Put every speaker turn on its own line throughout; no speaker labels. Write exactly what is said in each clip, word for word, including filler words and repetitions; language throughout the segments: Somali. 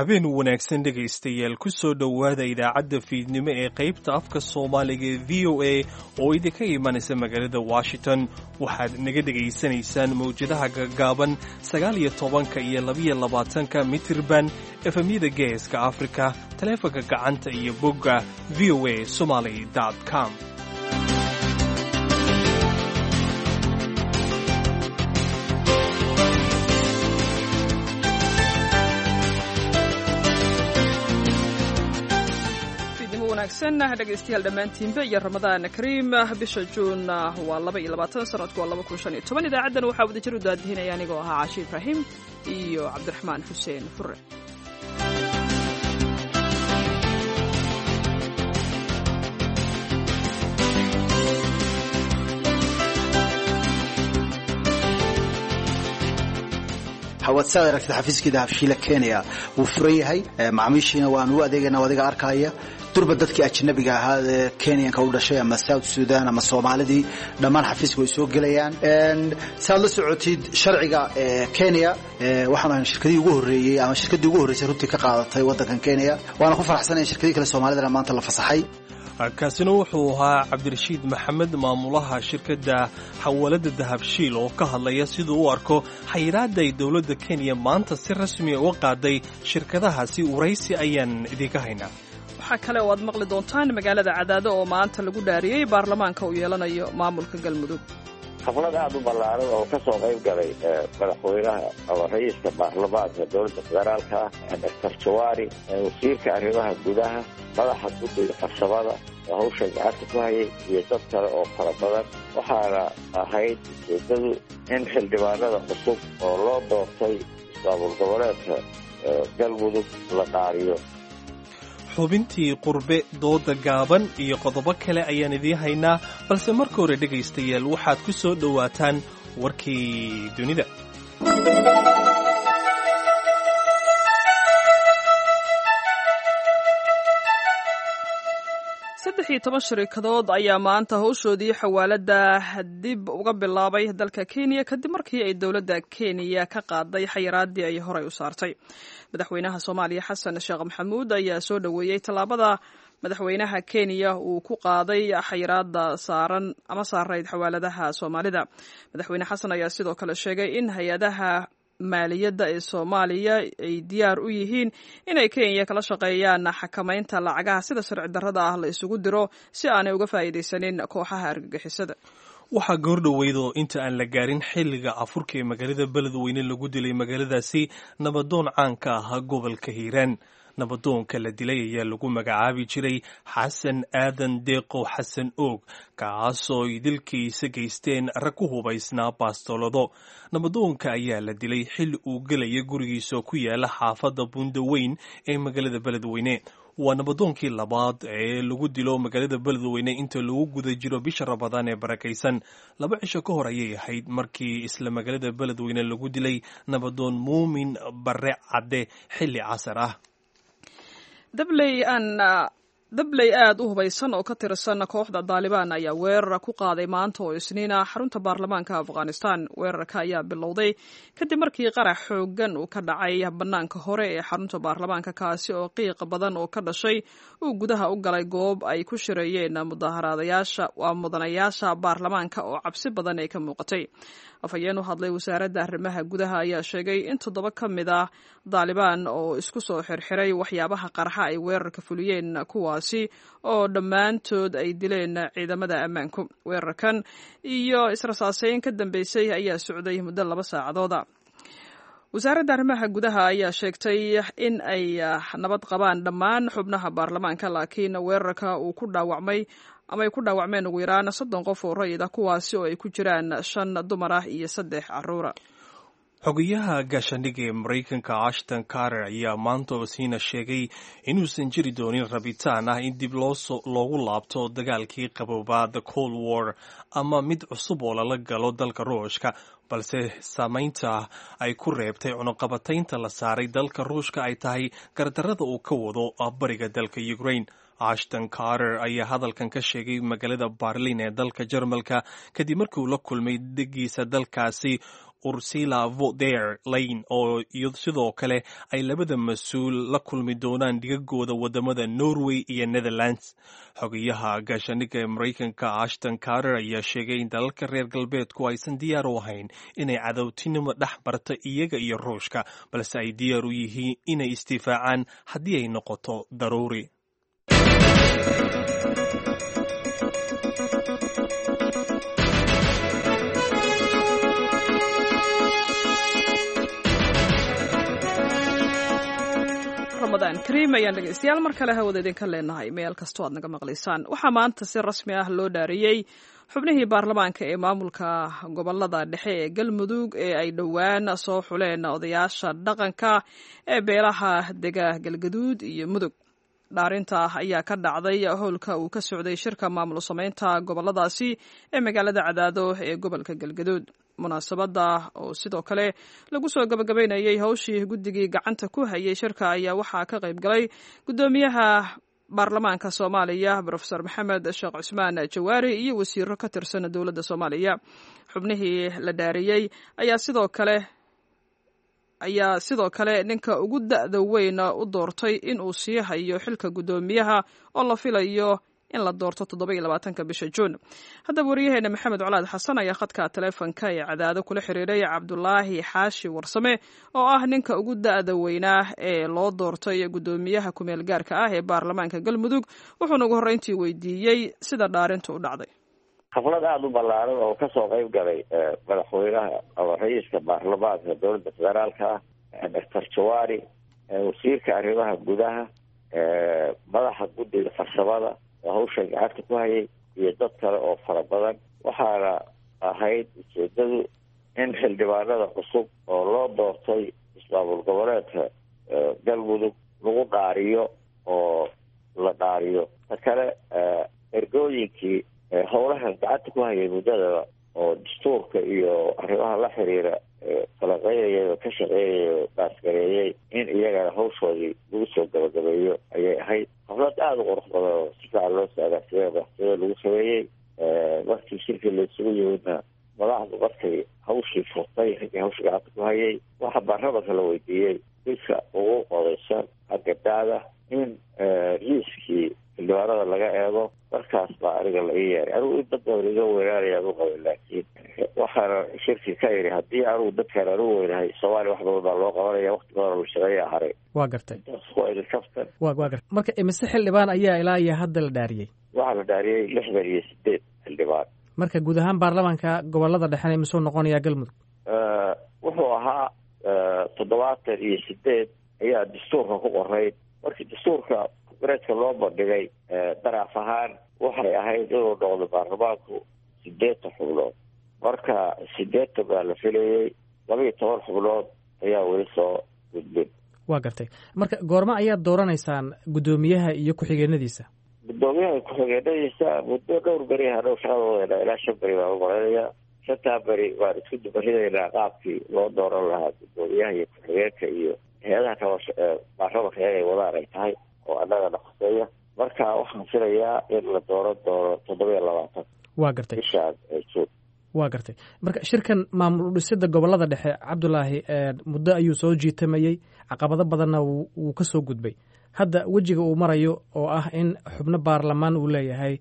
Habeen wanaagsan, dhegaystayaal. Ku soo dhowaada idaacadda fiidnimo ee qaybta afka Soomaaliga ee V O A oo idinka imanaysa magaalada Washington. Waxaad naga dhegaysanaysaan mawjadaha gaggaaban, sagaal iyo tobanka iyo labiyo labaatanka mitirban, F M-yada Geeska Afrika, taleefanka gacanta iyo bogga V O A Somali com.
Dhegeystayaal dhammaantiinba iyo Ramadaan kariim. Bisha Juun waa laba iyo labaatan, sanadku waa laba kun shan iyo toban. Idaacaddan waxaa wadajir u daadihinaya anigoo ahaa Caashi Ibraahim iyo Cabdiraxmaan Xuseen Fure.
Hawaad saad aragtid, xafiiskii Dahabshiila Kenya wuu furan yahay, macaamiishiina waan u adeegana. Adiga arkaya, durba dadkii ajnabiga ahaa ee Kenyanka u dhashay ama South Sudan ama Soomaalidii, dhammaan xafiiska way soo gelayaan. Saad la socotid sharciga Kenya, waxaan ahay shirkadii ugu horreeyey ama shirkaddii ugu horreysay runtii ka qaadatay waddankan Kenya. Waana ku faraxsanaya shirkadii kale Soomaalidana maanta la fasaxay.
Kaasina wuxuu ahaa Cabdirashiid Maxamed, maamulaha shirkadda xawaalada Dahabshiil, oo ka hadlaya siduu u arko xayiraadda ay dowladda Kenya maanta si rasmiya uga qaaday shirkadahaasi. Waraysi ayaan idinka haynaa.
Waxaa kale oo aad maqli doontaan magaalada Cadaado oo maanta lagu dhaariyey baarlamaanka uu yeelanayo maamulka Galmudug.
Xaflad aada u ballaaran oo ka soo qayb galay madaxweynaha ama ra-iiska baarlamaanka dowladda federaalka ah, Doctor Jawaari, wasiirka arrimaha gudaha, madaxa guddiga farsamada oo hawsha gacanta ku hayay iyo dad kale oo fara badan, waxaana ahayd ujeedadu in xildhibaanada cusub oo loo doortay ismaamul goboleedka Galmudug la dhaariyo.
Xubintii qurbe, dooda gaaban iyo qodobo kale ayaan idiin haynaa, balse marka hore, dhegaystayaal, waxaad ku soo dhowaataan warkii dunida.
Saddex iyo toban shirikadood ayaa maanta howshoodii xawaalada dib uga bilaabay dalka Kenya, kadib markii ay dowladda Kenya ka qaaday xayiraadii ay horey u saartay. Madaxweynaha Soomaaliya Xasan Sheekh Maxamuud ayaa soo dhoweeyey tallaabada madaxweynaha Kenya uu ku qaaday xayiraada saaran ama saarayd xawaaladaha Soomaalida. Madaxweyne Xasan ayaa sidoo kale sheegay in hay-adaha maaliyadda ee Soomaaliya ay diyaar u yihiin inay Kenya kala shaqeeyaan xakamaynta lacagaha sida sharci darrada ah la isugu diro, si aanay uga faa'iidaysanin kooxaha argagixisada.
Waxaa goordhoweydoo inta aan la gaarin xilliga afurka ee magaalada Beledweyne lagu dilay magaaladaasi nabadoon caanka ahaa gobolka Hiiraan. Nabadoonka la dilay ayaa lagu magacaabi jiray Xasan Aadan Deeqo, Xasan Oog, kaasoo ay dilkiisa geysteen rag ku hubaysnaa baastolado. Nabadoonka ayaa la dilay xilli uu gelaya gurigiisa ku yaala xaafadda Bundaweyn ee magaalada Beledweyne. Waa nabadoonkii labaad ee lagu dilo magaalada Beledweyne inta lagu guda jiro bisha Ramadaan ee barakaysan. Laba cisho ka hor ayay ahayd markii isla magaalada Beledweyne lagu dilay nabadoon Muumin Bare Cadde xilli casar ah.
Dabley aan dabley aada u hubaysan oo ka tirsan kooxda Daalibaan ayaa weerar ku qaaday maanta oo Isniina xarunta baarlamaanka Afghanistan. Weerarka ayaa bilowday kadib markii qarax xoogan uu ka dhacay bannaanka hore ee xarunta baarlamaanka, kaasi oo qiiq badan oo ka dhashay uu gudaha u galay goob ay ku shireeyeen mudaharaadayaasha, waa mudanayaasha baarlamaanka, oo cabsi badan ay ka muuqatay. Afhayeen u hadlay wasaaradda arrimaha gudaha ayaa sheegay in toddoba ka mid ah Daalibaan oo isku soo xirxiray waxyaabaha qarxa ay weerarka fuliyeen, kuwaasi oo dhammaantood ay dileen ciidamada ammaanku. Weerarkan iyo israsaaseyn ka dambeysay ayaa socday muddo laba saacadooda. Wasaaradda arrimaha gudaha ayaa sheegtay in ay nabad qabaan dhammaan xubnaha baarlamaanka, laakiin weerarka uu ku dhaawacmay ama ay ku dhaawacmeen ugu yaraan soddon qof oo rayid ah, kuwaasi oo ay ku jiraan shan dumar ah iyo saddex carruura.
Xogayaha gaashaandhigga ee Maraykanka Ashton Carter ayaa maanta osiina sheegay inuusan jiri doonin rabitaan ah in dib loogu laabto dagaalkii qaboobaa, the Cold War, ama mid cusub oo lala galo dalka Ruushka, balse saamaynta ay ku reebtay cunuqabataynta la saaray dalka Ruushka ay tahay gardarrada uu ka wado bariga dalka Ukraine. Ashton Carter ayaa hadalkan ka sheegay magaalada Barlin ee dalka Jarmalka, kadib markii uu la kulmay degiisa dalkaasi Ursula von der Leyen, oo sidoo kale ay labada mas-uul la kulmi doonaan dhigagooda wadamada Norway iyo Netherlands. Xogayaha gaashaandhigga ee Maraykanka Ashton Carter ayaa sheegay in dalalka reer galbeedku aysan diyaar u ahayn inay cadowtinimo dhex marta iyaga iyo Ruushka, balse ay diyaar u yihiin inay isdifaacaan haddii ay noqoto daruuri.
Ramadaan kariim ayaan dhegeystayaal mar kale hawada idinka leenahay meel kastoo aad naga maqlaysaan. Waxaa maanta si rasmi ah loo dhaariyey xubnihii baarlamaanka ee maamulka gobolada dhexe ee Galmudug ee ay dhowaan soo xuleen odayaasha dhaqanka ee beelaha dega Galgaduud iyo Mudug. Dhaarinta ayaa ka dhacday howlka uu ka socday shirka maamul samaynta goboladaasi ee magaalada Cadaado ee gobolka Galgaduud. Munaasabada oo sidoo kale lagu soo gabagabaynayay howshii guddigii gacanta ku hayay shirka ayaa waxaa ka qayb galay guddoomiyaha baarlamaanka Soomaaliya Brofesor Maxamed Sheekh Cusmaan Jawaari iyo wasiiro ka tirsan dowladda Soomaaliya. Xubnihii la dhaariyey ayaa sidoo kale ayaa sidoo kale ninka ugu da'da weyn u doortay in uu sii hayo xilka guddoomiyaha oo la filayo in la doorto toddoba iyo labaatanka bisha Juun. Haddaba wariyaheena Maxamed Colaad Xasan ayaa khadka taleefonka ee Cadaado kula xiriiray Cabdulaahi Xaashi Warsame oo ah ninka ugu da'da weynaa ee loo doortay guddoomiyaha kumeel gaarka ah ee baarlamaanka Galmudug, wuxuuna ugu horreyntii weydiiyey sida dhaarintu u dhacday.
Xaflad aada u ballaaran oo kasoo qayb galay madaxweynaha ama ra-iiska baarlamaanka dowladda federaalka ah Doctor Jawaari, wasiirka arrimaha gudaha, madaxa guddiga farsamada oo hawsha gacanta ku hayay, iyo dad kale oo fara badan. Waxaana ahayd ujeedadu in xildhibaanada cusub oo loo doortay ismaamul goboleedka Galmudug lagu dhaariyo oo la dhaariyo. Ta kale, ergooyinkii howlaha gacanta ku hayay muddadaba oo dastuurka iyo arrimaha la xiriira falaqeynayay oo ka shaqeynayay oo baasgareeyey in iyagana hawshoodii lagu soo gabagabeeyo ayay ahayd. Xaflad aada u qurux badan oo si fiican loo soo agaasimeyo madaxtooyada lagu sameeyey. Markii shirkii la isugu yimidna madaxdu markay hawshii furtay, raggii hawsha gacanta ku hayay, waxaa baarlamanka la weydiiyey midka ugu odaysan xagga daada in liiskii xildhibaanada laga eego. Markaas baa aniga la ii yeeray. Anigu in dad badan iga weynaanayaan u qabay, laakiin waxaana shirki ka yidhi haddii anigu dadkaan anigu weynahay Soomaaliya wax badan baa loo qabanaya, waqti badan oo la shaqeeya haray.
Waa gartay.
Intaas waa idin kaftan.
Wa waa gartay. Marka imise xildhibaan ayaa ilaa iyo hadda la dhaariyey?
Waxaa la dhaariyey lixdan iyo sideed xildhibaan.
Marka guud ahaan baarlamaanka gobolada dhexena imisuu noqonayaa Galmudug?
Wuxuu ahaa toddobaatan iyo sideed ayaa dastuurka ku qorayd. Markii dastuurka kongareeska loo bandhigay daraaf ahaan waxay ahayd inuu noqdo baarlamaanku sideetan xubnood. Marka sideetan baa la filayey, laba iyo toban xubnood ayaa weli soo gudbin.
Waa gartay. Marka goorma ayaad dooranaysaan guddoomiyaha iyo ku-xigeenadiisa?
Guddoomiyaha ku-xigeenadiisa muddo dhowr beri hadhow shaqada wadeynaa, ilaa shan beri baan u malaynayaa. Shantaa beri baan isku dubaridaynaa qaabkii loo dooran lahaa guddoomiyaha iyo ku-xigeenka iyo hay-adaha kale baarlamanka inay wadaan ay tahay oo annagana khuseeya. Marka waxaan filayaa in la dooran doono toddoba iyo labaatan
Waa gartay.
bishaan Juun.
Waa gartay. Marka shirkan maamul udhisida gobolada dhexe, Cabdulaahi, muddo ayuu soo jiitamayey, caqabado badanna wuu ka soo gudbay. Hadda wejiga uu marayo oo ah in xubno baarlamaan uu leeyahay,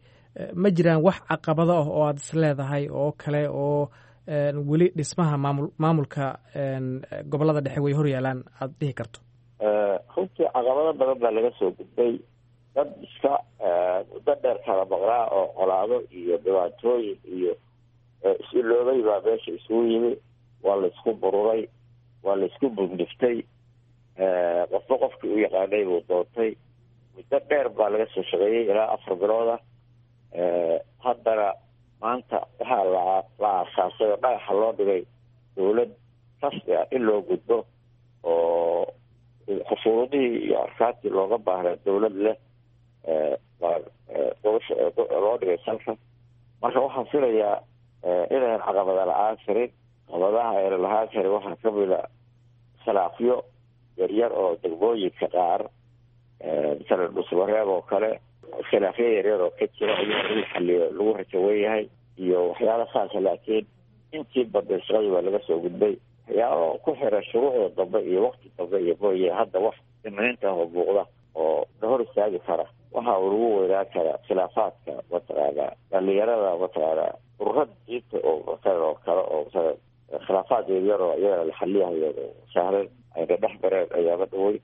ma jiraan wax caqabado ah oo aada is leedahay oo kale oo weli dhismaha maamul maamulka gobolada dhexe way hor yaalaan aada dhihi karto?
Runtii caqabado badan baa laga soo gudbay. Dad iska muddo dheer kala maqnaa oo colaado iyo dhibaatooyin iyo is-iloobay baa meesha isugu yimi. Waa la isku bururay, waa la isku bugniftay, qofba qofkii u yaqaanay buu doontay. Muddo dheer baa laga soo shaqeeyey, ilaa afar bilood ah. Haddana maanta waxaa la la aasaasay oo dhagaxa loo dhigay dowlad rasmi ah in loo gudbo oo xusuuradihii iyo arkaantii looga baahnaa dowlad leh baa loo dhigay salka. Marka waxaan filayaa inayan caqabada la-aan karin. Caqabadaha ayna lahaan karin waxaa kamid a khilaafyo yaryar oo degmooyinka qaar, masalan Dhusmareeb oo kale, khilaafyo yaryar oo ka jira ayaa in la xaliyo lagu rajawen yahay iyo waxyaala saasa. Laakiin Intii badnay shaqadii waa laga soo gudbay. Waxyaaba ku xiran shuruucda dambe iyo wakti dambe iyo mooye, hadda wax imniinta ah oo muuqda oo na hor istaagi kara, waxa uu lagu weynaan karaa khilaafaadka mataqaana dhalinyarada, mataqaana ururada diinta oo matalan oo kale oo matalan khilaafaad yaryar oo iyagana la xaliyahayo oo sahlan ayna dhex mareen ayaaba dhawey.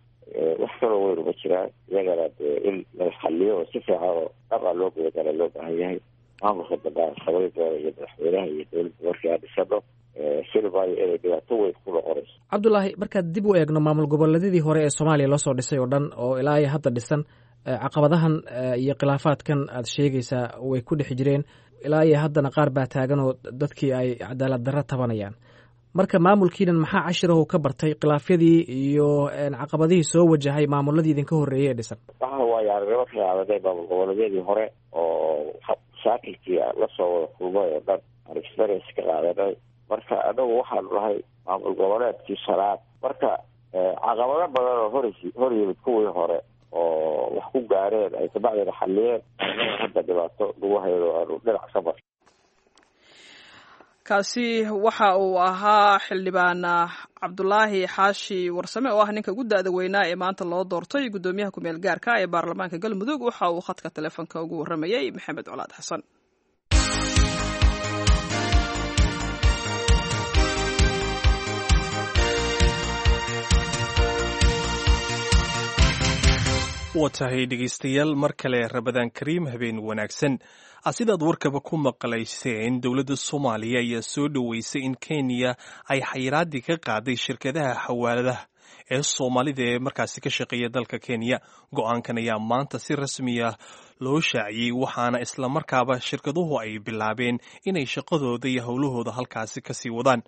Wax kaloo weyn uma jiraan, iyagana dee in la xaliyo oo si fiican oo dhab a loo gudagala loo baahan yahay. Maamulka dambe aan samayn doona iyo madaxweynaha iyo dowladda markii aan dhisano filmaayo inay dhibaato weyn ku noqonayso.
Cabdulaahi, markaad dib u eegno maamul goboleedyadii hore ee Soomaaliya loo soo dhisay oo dhan oo ilaa iyo hadda dhisan, caqabadahan iyo khilaafaadkan aad sheegaysaa way ku dhex jireen, ilaa iyo haddana qaar baa taagan oo dadkii ay cadaalad darro tabanayaan. Marka maamulkiinan maxaa cashirahu ka bartay khilaafyadii iyo caqabadihii soo wajahay maamuladii idinka horreeyey ee dhisan?
Waxa waaye aragnimo ka qaadanay maamul goboleedyadii hore oo mashaakilkii lasoo wada kulmay oo dhan aan experience ka qaadanay. Marka anagu waxaanu nahay maamul goboleedkii shanaad, marka caqabado badan oo hor hor yimid kuwii hore oo wax ku gaareen ay kabacdina xaliyeen, anaga hadda dhibaato lagu hayno aanu dhinac ka mar.
Kaasi waxa uu ahaa xildhibaan Cabdulaahi Xaashi Warsame oo ah ninka ugu da-da weynaa ee maanta loo doortay guddoomiyaha ku-meel gaarka ee baarlamaanka Galmudug. Waxa uu khadka telefoonka ugu warramayey Maxamed Colaad Xasan.
Waa tahay dhegaystayaal, mar kale Rabadaan Kariim, habeen wanaagsan. Sidaad warkaba ku maqlayseen, dowladda Soomaaliya ayaa soo dhoweysay in Kenya ay xayiraadii ka qaaday shirkadaha xawaaladaha ee Soomaalida ee markaasi ka shaqeeya dalka Kenya. Go-aankan ayaa maanta si rasmi ah loo shaaciyey, waxaana islamarkaaba shirkaduhu ay bilaabeen inay shaqadooda iyo howlahooda halkaasi kasii wadaan.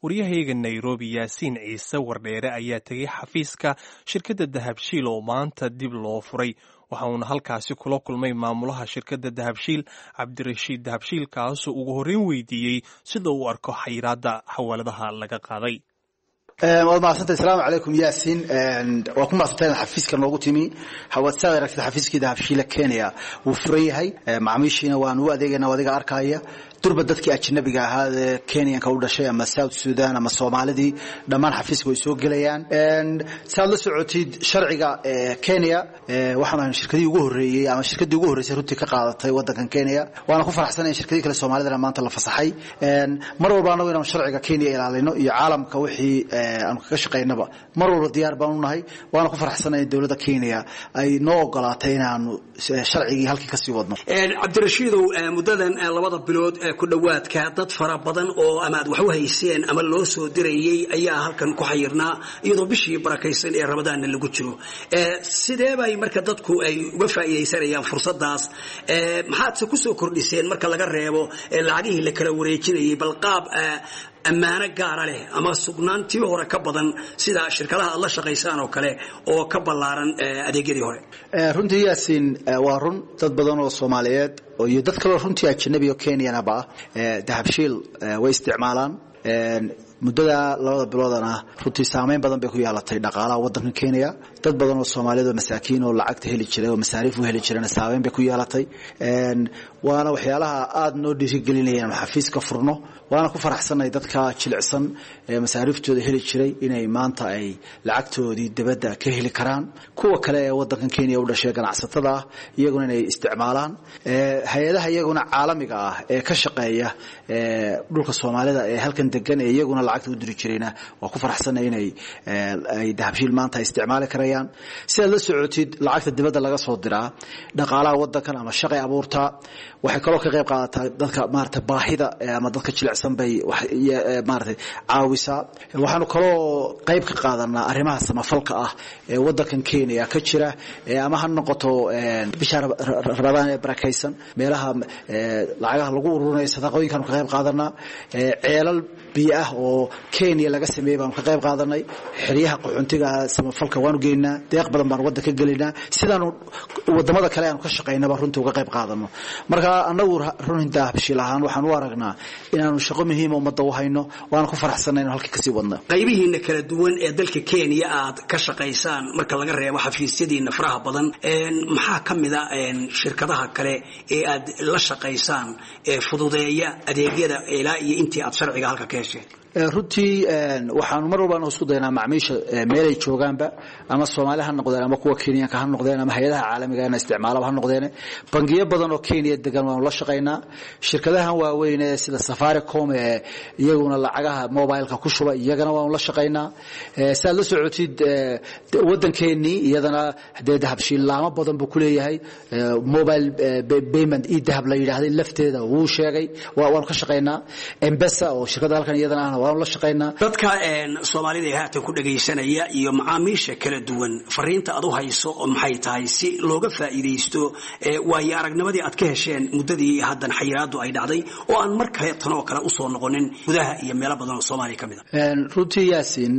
Waryahayaga Nairobi Yaasiin Ciise Wardheere ayaa tegay xafiiska shirkadda Dahabshiil oo maanta dib loo furay, waxa uuna halkaasi kula kulmay maamulaha shirkadda Dahabshiil, Cabdirashiid Dahabshiil, kaasoo ugu horreyn weydiiyey sida uu arko xayiraadda xawaaladaha laga qaaday.
Waad mahadsantay. Asalaamu calaykum Yaasiin, waa ku mahadsantahay inaad xafiiska noogu timi. Hawaad saad aragtid xafiiskii Dahabshiila Kenya wuu furan yahay, macaamiishiina waan u adeegaynaa, adiga arkaya. Durba dadkii ajnabiga ahaa ee Kenyanka u dhashay ama South Sudan ama Soomaalidii dhammaan xafiiska way soo gelayaan. Saad la socotid sharciga Kenya, waxaan ahay shirkadii ugu horreeyey ama shirkadii ugu horreysay runtii ka qaadatay waddankan Kenya, waana ku faraxsanahay in shirkadii kale Soomaalidana maanta la fasaxay. Mar walba anagu inaanu sharciga Kenya ilaalino iyo caalamka wixii aanu kaga shaqaynaba mar walba diyaar baan u nahay, waana ku faraxsanahay in dowladda Kenya ay noo ogolaatay inaanu sharcigii halkii kasii wadno.
Cabdirashiidow, muddadan labada bilood ku dhowaadka dad fara badan oo ama aad wax u hayseen ama loo soo dirayey ayaa halkan ku xayirnaa, iyadoo bishii barakaysan ee Ramadaanna lagu jiro. Sidee bay marka dadku ay uga faa'iidaysanayaan fursadaas? Maxaadse kusoo kordhiseen marka laga reebo lacagihii la kala wareejinayay, bal qaab ammaano gaara leh ama sugnaantii hore ka badan sida shirkadaha aad la shaqaysaan oo kale oo ka ballaaran adeegyadii hore?
Runtii Yaasiin, waa run dad badan oo Soomaaliyeed iyo dad kaleo runtii ajnabi oo Kenyanaba ah Dahabshiil way isticmaalaan. Muddada labada biloodana runtii saameyn badan bay ku yeelatay dhaqaalaha waddanka Kenya. Dad badan oo Soomaaliyeed oo masaakiin oo lacagta heli jiray oo masaariif u heli jirayna saameyn bay ku yeelatay. Waana waxyaalaha aada noo dhiirigelinaya inaanu xafiiska furno, waana ku faraxsanay dadka jilicsan ee masaariiftooda heli jiray inay maanta ay lacagtoodii dibadda ka heli karaan. Kuwa kale ee waddankan Kenya u dhashay ganacsatada ah iyaguna inay isticmaalaan. Hay-adaha iyaguna caalamiga ah ee ka shaqeeya dhulka Soomaalida ee halkan degan ee iyaguna lacagta u diri jirayna waa ku faraxsanay inay ay Dahabshiil maanta ay isticmaali karayaan. Sidaad la socotid lacagta dibadda laga soo diraa dhaqaalaha waddankan ama shaqay abuurtaa, waxay kaloo ka qayb qaadataa dadka maarata baahida ama dadka jilicsan bay maarata caawisaa. Waxaanu kaloo qayb ka qaadanaa arrimaha samafalka ah ee waddankan Kenya ka jira, ama ha noqoto bisha Ramadaan ee barakaysan meelaha lacagaha lagu ururinayo sadaqooyinkaanu ka qayb qaadanaa, ceelal biyo ah oo oo Kenya laga sameeyey baanu ka qayb qaadanay. Xeryaha qaxoontiga samafalka waanu geynaa, deeq badan baanu waddanka gelinaa, sidaanu wadamada kale aanu ka shaqaynaba runtii uga qayb qaadano. Marka annagu runtii Dahabshiil ahaan waxaan u aragnaa inaanu shaqo muhiima ummadda u hayno, waana ku faraxsanay inaan halka kasii wadno.
Qaybihiina kala duwan ee dalka Kenya aad ka shaqaysaan, marka laga reebo xafiisyadiina faraha badan, maxaa ka mid a shirkadaha kale ee aad la shaqaysaan ee fududeeya adeegyada ilaa iyo intii aad sharciga halka ka hesheen?
Runtii waxaanu mar walba isku daynaa macmiisha meelay joogaanba, ama Soomaali ha noqdeen ama kuwa Kenyanka ha noqdeen ama hay-adaha caalamiga ina isticmaalaba ha noqdeen, bangiyo badan oo Kenya degan waanu la shaqaynaa. Shirkadahan waaweyn ee sida Safaricom ee iyaguna lacagaha mobileka ku shuba, iyagana waanu la shaqaynaa. Si aad la socotid waddankeenii iyadana dee Dahabshiil laamo badan buu ku leeyahay. Mobile payment e dahab la yidhaahday lafteeda wuu sheegay, waanu ka shaqaynaa. M-Pesa oo shirkadda halkan iyadana ahna waanu la shaqaynaa.
Dadka Soomaalida ee haatan ku dhagaysanaya iyo macaamiisha kala duwan, fariinta aad u hayso maxay tahay si looga faa'iidaysto waayo aragnimadii aad ka hesheen muddadii haddan xayiraadu ay dhacday oo aan mar kale tan oo kale usoo noqonin gudaha iyo meelo badan oo Soomaaliya ka mid
a? Runtii Yaasin,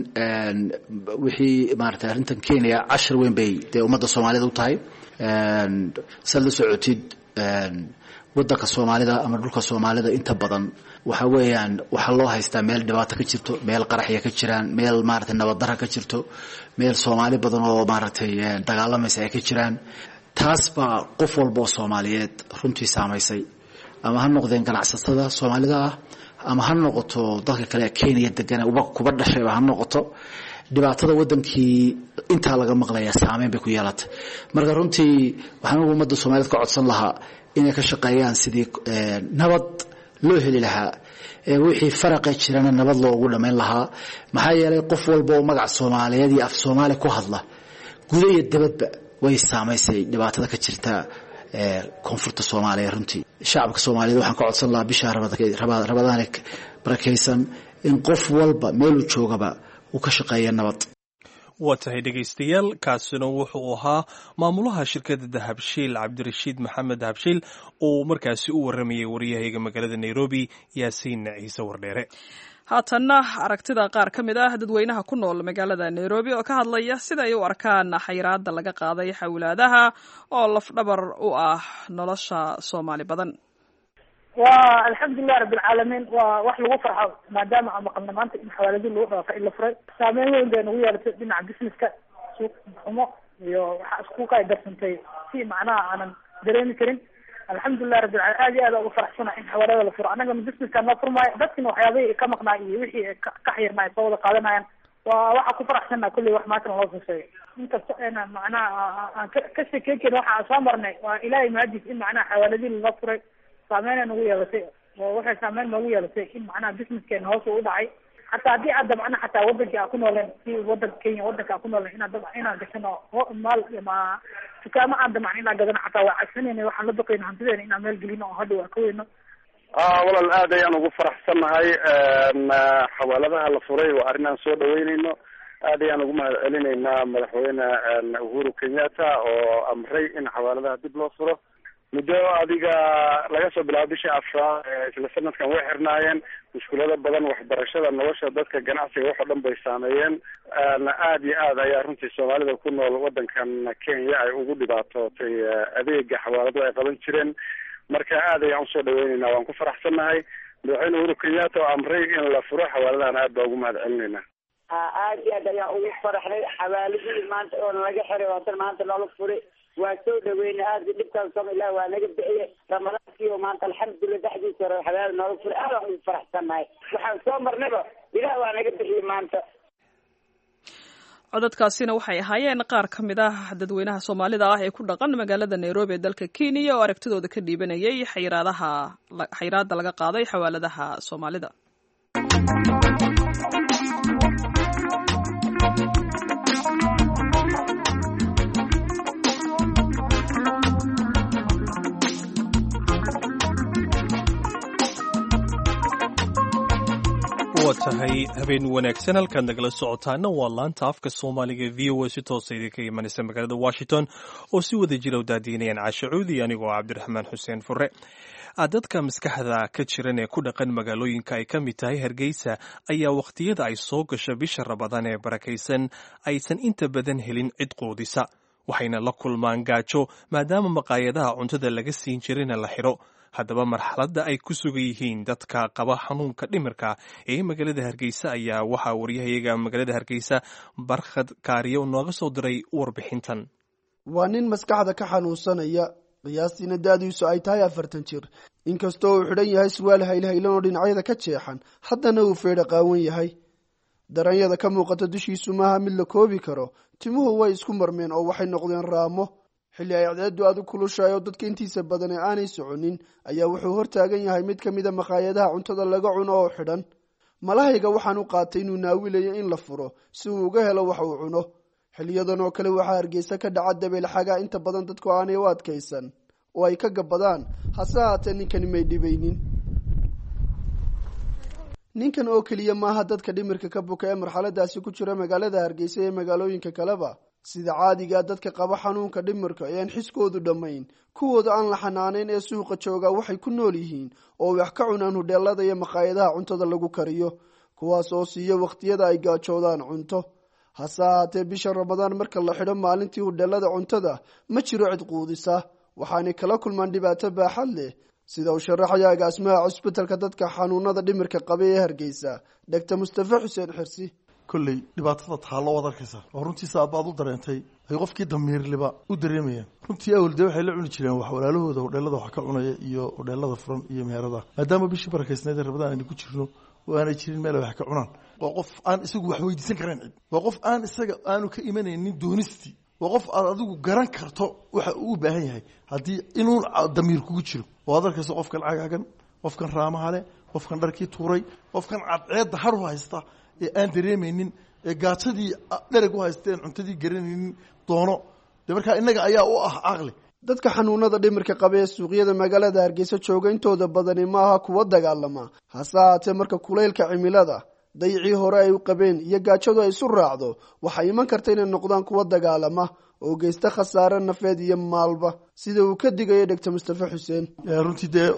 wixii maaragtay arrintan Kenya cashar weyn bay dee ummadda Soomaalida u tahay. Saad la socotid, waddanka Soomaalida ama dhulka Soomaalida inta badan waxa weeyaan waxaa loo haystaa meel dhibaato ka jirto, meel qaraxya ka jiraan, meel maaragtay nabaddarra ka jirto, meel Soomaali badan oo maaragtay dagaalamaysa ay ka jiraan. Taas baa qof walba oo Soomaaliyeed runtii saamaysay, ama ha noqdeen ganacsatada Soomaalida ah ama ha noqoto dadka kale ee Kenya degan uba kuba dhashayba ha noqoto. Dhibaatada wadankii intaa laga maqlaya saameyn bay ku yeelatay. Marka runtii waxaan ugu ummadda Soomaaliyeed ka codsan lahaa inay ka shaqeeyaan sidii nabad loo heli lahaa, wixii faraqe jirana nabad loogu dhammayn lahaa. Maxaa yeelay qof walba oo magac Soomaaliyeed iyo af Soomaali ku hadla guda iyo dabadba way saamaysay dhibaatada ka jirta koonfurta Soomaaliya. Runtii shacabka Soomaaliyeed waxaan ka codsan lahaa bisha Rabadaan barakaysan in qof walba meeluu joogaba uu ka shaqeeya nabad.
Waa tahay dhegaystayaal, kaasina wuxuu ahaa maamulaha shirkadda Dahabshiil, Cabdirashiid Maxamed Dahabshiil, oo markaasi u waramayay waryahayga magaalada Nairobi, Yaasiin Ciise Wardheere.
Haatanna aragtida qaar ka mid ah dadweynaha ku nool magaalada Nairobi oo ka hadlaya sida ay u arkaan xayiraada laga qaaday xawlaadaha oo lafdhabar u ah nolosha Soomaali badan.
Waa alxamdulilah rabbilcaalamiin, waa wax lagu farxo maadaama aan maqalna maanta in xawaaladii lagu dhawaaqay in la furay. Saameyn weyn bay nagu yeelatay dhinaca businesska, suuq xumo iyo waxaa isku kay darsantay si macnaha aanan dareemi karin. Alxamdulilah rabbilcaalamiin, aad iyo aad ugu faraxsana in xawaalada la furo. Annagana businesska noo furmaayo, dadkina waxyaabihii ka maqnaa iyo wixii ka xirnaa ay soo wada qaadanayaan. Waa waxaa ku faraxsanaa kulley wax maantana loo soo sheegay, inkasta ena macnaha aan ka sheekeyn karin waxa aan soo marnay. Waa Ilaahay mahadiis in macnaha xawaaladii loo furay. Saameynay nagu yeelatay oo waxay saameyn noogu yeelatay in macnaha businesskeena hoos uu dhacay. Xataa haddii aad dabcana xataa wadankii aan ku nooleen, si wadanka Kenya wadanka aan ku nooleen, inaan dab inaan gashano maal ama dukaamo aan damacno inaan gadano, xataa waa cabsanayna, waxaan la baqayna hantideena inaan meel gelino oo hadhow aan ka weyno.
Walaal, aad ayaan ugu faraxsannahay xawaaladaha la furay. Waa arrin aan soo dhaweyneyno. Aad ayaan ugu mahad celinaynaa Madaxweyne Uhuru Kenyatta oo amray in xawaaladaha dib loo furo. Muddo adiga laga soo bilaabo bishii afraad isla sanadkan way xirnaayeen. Mushkulado badan, waxbarashada, nolosha dadka, ganacsiga, wax oo dhan bay saameeyeen. Aad iyo aad ayaa runtii Soomaalida ku nool wadankan Kenya ay ugu dhibaatootay adeega xawaalado ay qaban jireen. Marka aad ayaan usoo dhaweyneynaa, waan ku faraxsannahay Madaxweyne Uhuru Kenyatta oo amray in la furo xawaaladahan. Aad baa ugu mahad celinaynaa.
Aad iyo aad ayaan ugu faraxnay xawaaladihii maanta oo nalaga xiray oo haddana maanta noola furay. Waa soo dhaweynay aad dhibkaan sama, Ilaah waa naga bixiye. Ramadaankii oo maanta alxamdulillah dhexdiisa hore xawaala noola furay, aad aan ugu faraxsannahay. Waxaan soo marnayba Ilaah waa naga bixiye maanta.
Codadkaasina waxay ahaayeen qaar ka mid ah dadweynaha Soomaalida ah ee ku dhaqan magaalada Nairobi ee dalka Kenya oo aragtidooda ka dhiibanayay xayiraadaha xayiraadda laga qaaday xawaaladaha Soomaalida.
Waa tahay, habeen wanaagsan. Halkaad nagala socotaana waa laanta afka Soomaaliga V O A, si toosa idinka imanaysa magaalada Washington, oo si wada jira u daadiinayaan Caashe Cuudi anigoo Cabdiraxmaan Xuseen Fure. Dadka maskaxda ka jiran ee ku dhaqan magaalooyinka ay ka mid tahay Hargeysa ayaa wakhtiyada ay soo gasho bisha Rabadaan ee barakaysan aysan inta badan helin cid quudisa, waxayna la kulmaan gaajo maadaama maqaayadaha cuntada laga siin jirayna la xidho. Haddaba marxaladda ay ku sugan yihiin dadka qaba xanuunka dhimirka ee magaalada Hargeysa ayaa waxaa waryahayaga magaalada Hargeysa Barkhad Kaariyo nooga soo diray warbixintan.
Waa nin maskaxda ka xanuunsanaya, qiyaastiina da-diisu ay tahay afartan jir. Inkastoo uu xidhan yahay surwaal haylhaylan oo dhinacyada ka jeexan, haddana uu feedha qaawan yahay. Daranyada ka muuqata dushiisu maaha mid la koobi karo. Timuhu way isku marmeen oo waxay noqdeen raamo. Xilli ay cadceeddu aad u kulushahay oo dadka intiisa badan ee aanay soconin ayaa wuxuu hortaagan yahay mid ka mid a makhaayadaha cuntada laga cuno oo xidhan. Malahayga waxaan u qaatay inuu naawilayo in la furo si uu uga helo wax uu cuno. Xiliyadan oo kale waxaa Hargeysa ka dhaca dabeel xagaa inta badan dadku aanay u adkaysan oo ay ka gabbadaan, hase haatee ninkani may dhibaynin. Ninkan oo keliya maaha dadka dhimirka ka buka ee marxaladaasi ku jira magaalada Hargeysa ee magaalooyinka kaleba. Sida caadigaa, dadka qaba xanuunka dhimirka ee aan xiskoodu dhammayn, kuwooda aan la xanaaneyn ee suuqa jooga, waxay ku nool yihiin oo wax ka cunaan hudheelada iyo makhaayadaha cuntada lagu kariyo, kuwaas oo siiyo wakhtiyada ay gaajoodaan cunto. Hase haatee bisha Ramadaan marka la xidho maalintii hudheelada cuntada, ma jiro cid quudisa, waxaanay kala kulmaan dhibaato baaxad leh, sida uu sharaxaya agaasimaha cusbitalka dadka xanuunada dhimirka qaba ee Hargeysa, Doctor Mustafe Xuseen Xirsi.
Kolley dhibaatada taallo waad arkaysaa oo runtii saabaad u dareentay ay qofkii damiirliba u dareemayaan. Runtii awal dee waxay la cuni jireen wax walaalahooda hodheelada wax ka cunaya iyo hodheelada furan iyo meherada, maadaama bishii barakaysnayd ee Rabadaan aynu ku jirno oo aanay jirin meel ay wax ka cunaan. Waa qof aan isagu wax weydiisan karayn cid, waa qof aan isaga aanu ka imanaynin doonistii, waa qof aad adigu garan karto waxa uu u baahan yahay haddii inuu damiir kugu jiro. Oo aad arkayso qofkan cagaagan, qofkan raamaha leh, qofkan dharkii tuuray, qofkan cadceedda har u haysta ee aan dareemaynin, ee gaajadii dhereg u haysteen, cuntadii garanaynin doono. Dee markaa innaga ayaa u ah caqli.
Dadka xanuunada dhimirka qaba ee suuqyada magaalada Hargeysa jooga intooda badani maaha kuwa dagaalama, hase haatee marka kulaylka cimilada, dayicii hore ay u qabeen iyo gaajadu ay isu raacdo, waxay iman karta inay noqdaan kuwa dagaalama oo geysta khasaare nafeed iyo maalba, sida uu ka digayo Doctor Mustafe Xuseen.
Runtii dee